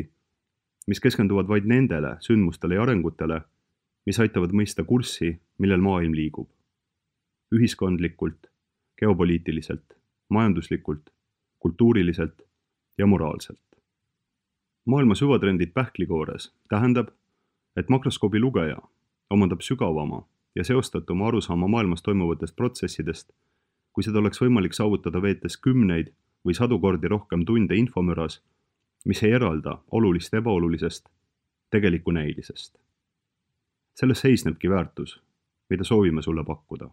mis keskenduvad vaid nendele sündmustele ja arengutele, mis aitavad mõista kurssi, millel maailm liigub. Ühiskondlikult, geopoliitiliselt, majanduslikult, kultuuriliselt ja moraalselt. Maailma süvatrendid pähklikoores tähendab, et Makroskoobi lugeja omandab sügavama ja seostatuma arusaama maailmas toimuvatest protsessidest, kui seda oleks võimalik saavutada veetes kümneid või sadu kordi rohkem tunde infomüras, mis ei eralda olulist ebaolulisest tegeliku näilisest. Selles seisnebki väärtus, mida soovime sulle pakkuda.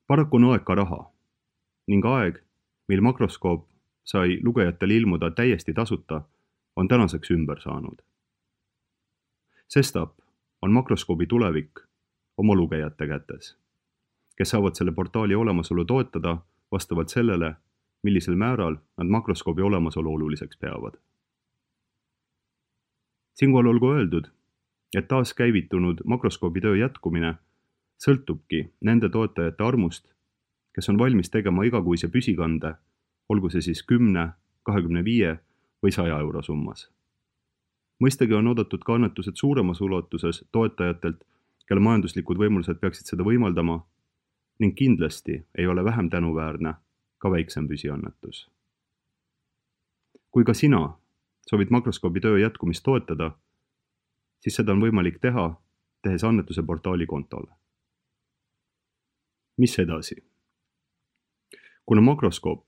Paraku on aeg ka raha ning aeg, mil Makroskoop sai lugejatel ilmuda täiesti tasuta, on tänaseks ümber saanud. Sestap on Makroskoobi tulevik oma lugejate kätes, kes saavad selle portaali olemasolu toetada vastavalt sellele, millisel määral nad Makroskoobi olemasolu oluliseks peavad. Siinkohal olgu öeldud, et taas käivitunud Makroskoobi töö jätkumine sõltubki nende toetajate armust, kes on valmis tegema igakuise püsikande, olgu see siis kümne, kahekümne viie või saja euro summas. Mõistagi on oodatud ka annetused suuremas ulatuses toetajatelt, kelle majanduslikud võimalused peaksid seda võimaldama ning kindlasti ei ole vähem tänuväärne ka väiksem püsiannetus. Kui ka sina soovid Makroskoobi töö jätkumist toetada, siis seda on võimalik teha, tehes annetuse portaali kontole. Mis edasi? Kuna Makroskoop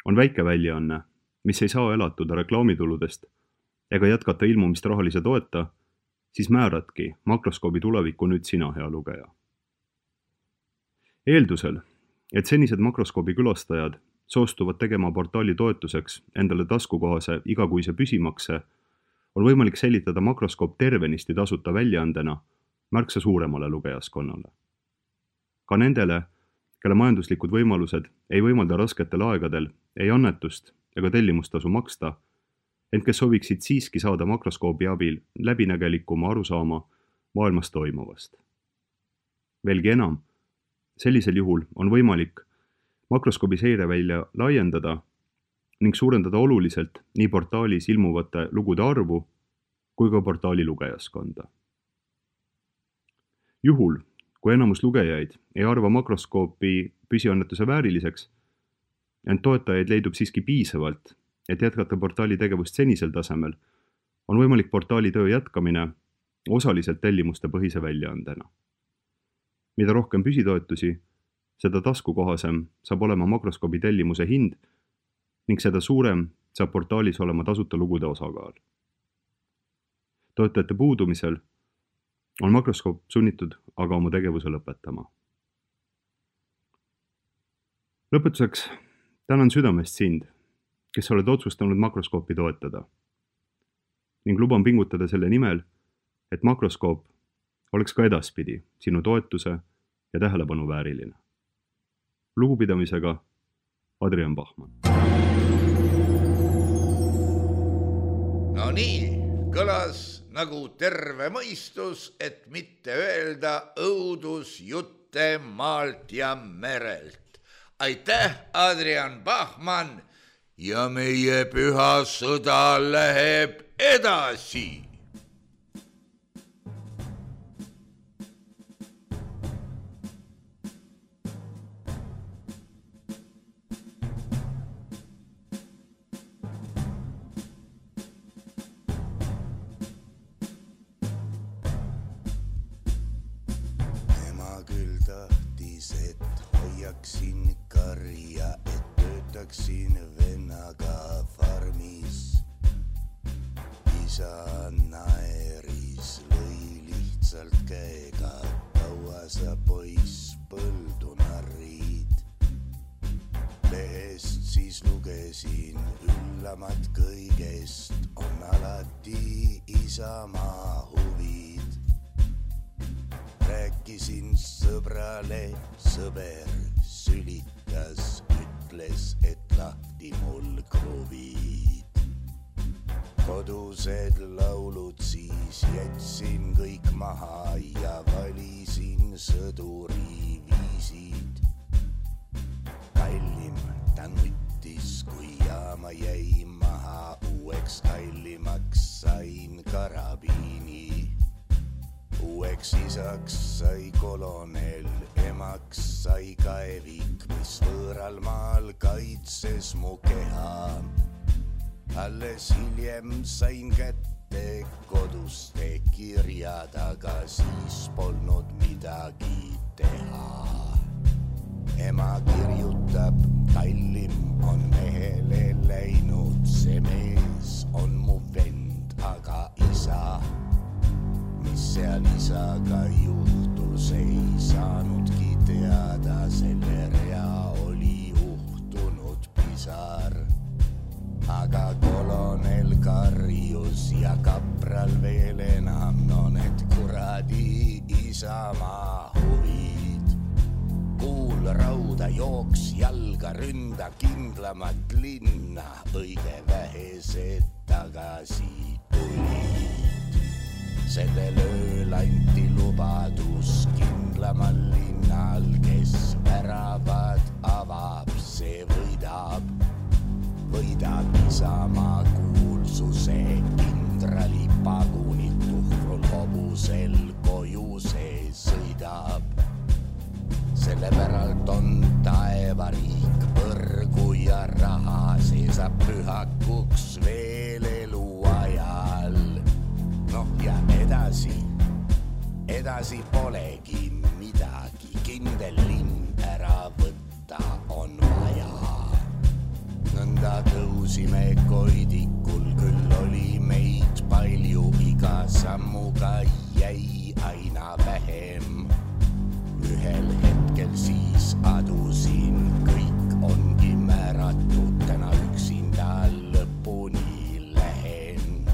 on väike väljaanne, mis ei saa elatuda reklaamituludest ega jätkata ilmumist rahalise toeta, siis määradki Makroskoobi tulevikku nüüd sina, hea lugeja. Eeldusel, et senised Makroskoobi külastajad soostuvad tegema portaali toetuseks endale taskukohase igakuise püsimakse, on võimalik säilitada Makroskoop tervenisti tasuta väljaandena märksa suuremale lugejaskonnale. Ka nendele, kelle majanduslikud võimalused ei võimalda rasketel aegadel ei annetust ega tellimustasu maksta, ent kes sooviksid siiski saada Makroskoobi abil läbinägelikuma arusaama maailmas toimuvast. Veelgi enam, sellisel juhul on võimalik Makroskoobi seirevälja laiendada ning suurendada oluliselt nii portaalis ilmuvate lugude arvu kui ka portaali lugejaskonda. Juhul, kui enamus lugejaid ei arva Makroskoopi püsiannetuse vääriliseks, ent toetajaid leidub siiski piisavalt, et jätkata portaali tegevust senisel tasemel, on võimalik portaali töö jätkamine osaliselt tellimuste põhise väljaandena. Mida rohkem püsitoetusi, seda taskukohasem saab olema Makroskoobi tellimuse hind ning seda suurem saab portaalis olema tasuta lugude osakaal. Toetajate puudumisel on Makroskoop sunnitud aga oma tegevuse lõpetama. Lõpetuseks tänan südamest sind, kes oled otsustanud Makroskoopi toetada ning luban pingutada selle nimel, et Makroskoop oleks ka edaspidi sinu toetuse ja tähelepanu vääriline. Lugupidamisega Adrian Bachmann. No nii, kõlas nagu terve mõistus, et mitte öelda õudusjutte maalt ja merelt. Aitäh, Adrian Bachmann, ja meie püha sõda läheb edasi. Hoiaksin karja, et töötaksin vennaga farmis. Isa naeris, lõi lihtsalt käega, kaua sa poiss põldun mis lugesin üllamat kõigest, on alati isamaa huvid. Rääkisin sõbrale, sõber sülitas, ütles, et lahti mul kruvid. Kodused laulud siis jätsin kõik maha ja valisin sõduri viisid. Kallim ta nuttis, kui jaama jäi maha, uueks kallimaks sain karabiini. Uueks isaks sai kolonel, emaks sai kaevik, mis võõral maal kaitses mu keha. Alles hiljem sain kätte koduste kirjad, aga siis polnud midagi teha. Ema kirjutab, kallim on mehele läinud, see mees on mu vend, aga isa, mis seal isaga juhtus, ei saanudki teada, selle rea oli uhtunud pisar. Aga kolonel karjus ja kapral veel enam, no need kuradi isamaa huvid. Kuul rauda jooks jalga, ründa kindlamat linna, õige vähesed tagasi tulid. Sellel ööl anti lubadus kindlamal linnal, kes väravad avab, see võidab. Võidab isamaa kuulsuse, kindrali pagunit tuhrul hobusel koju see sõidab. Selle päralt on taevariik, põrgu ja raha, see saab pühakuks veel elu ajal. Noh ja edasi, edasi polegi midagi, kindel linn ära võtta on vaja. Nõnda tõusime koidikul, küll oli meid palju, iga sammuga jäi aina vähem. Ühel hetkel siis adusin, kõik ongi määratud, täna üksinda lõpuni lähen.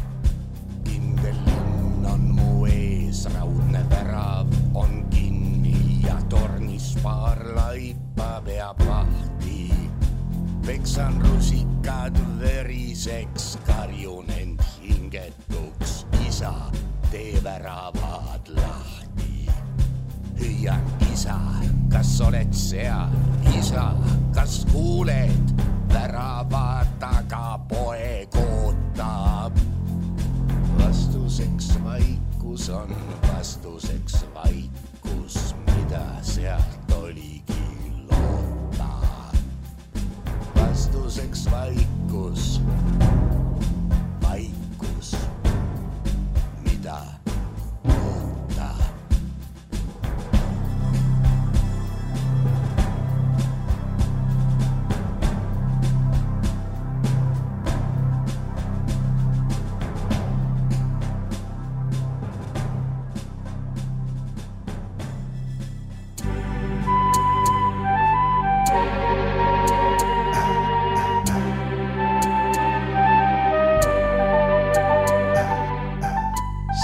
Kindel linn on mu ees, raudne värav on kinni ja tornis paar laipa peab vahti. Peksan rusikad veriseks, karjun end hingetuks, isa, tee väravad lahti. Hüüan, isa, kas oled seal? Isa, kas kuuled? Värava taga poeg ootab. Vastuseks vaikus on, vastuseks vaikus, mida sealt oligi loota. Vastuseks vaikus, vaikus, mida loota.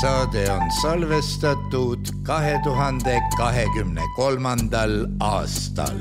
Saade on salvestatud kahe tuhande kahekümne kolmandal aastal.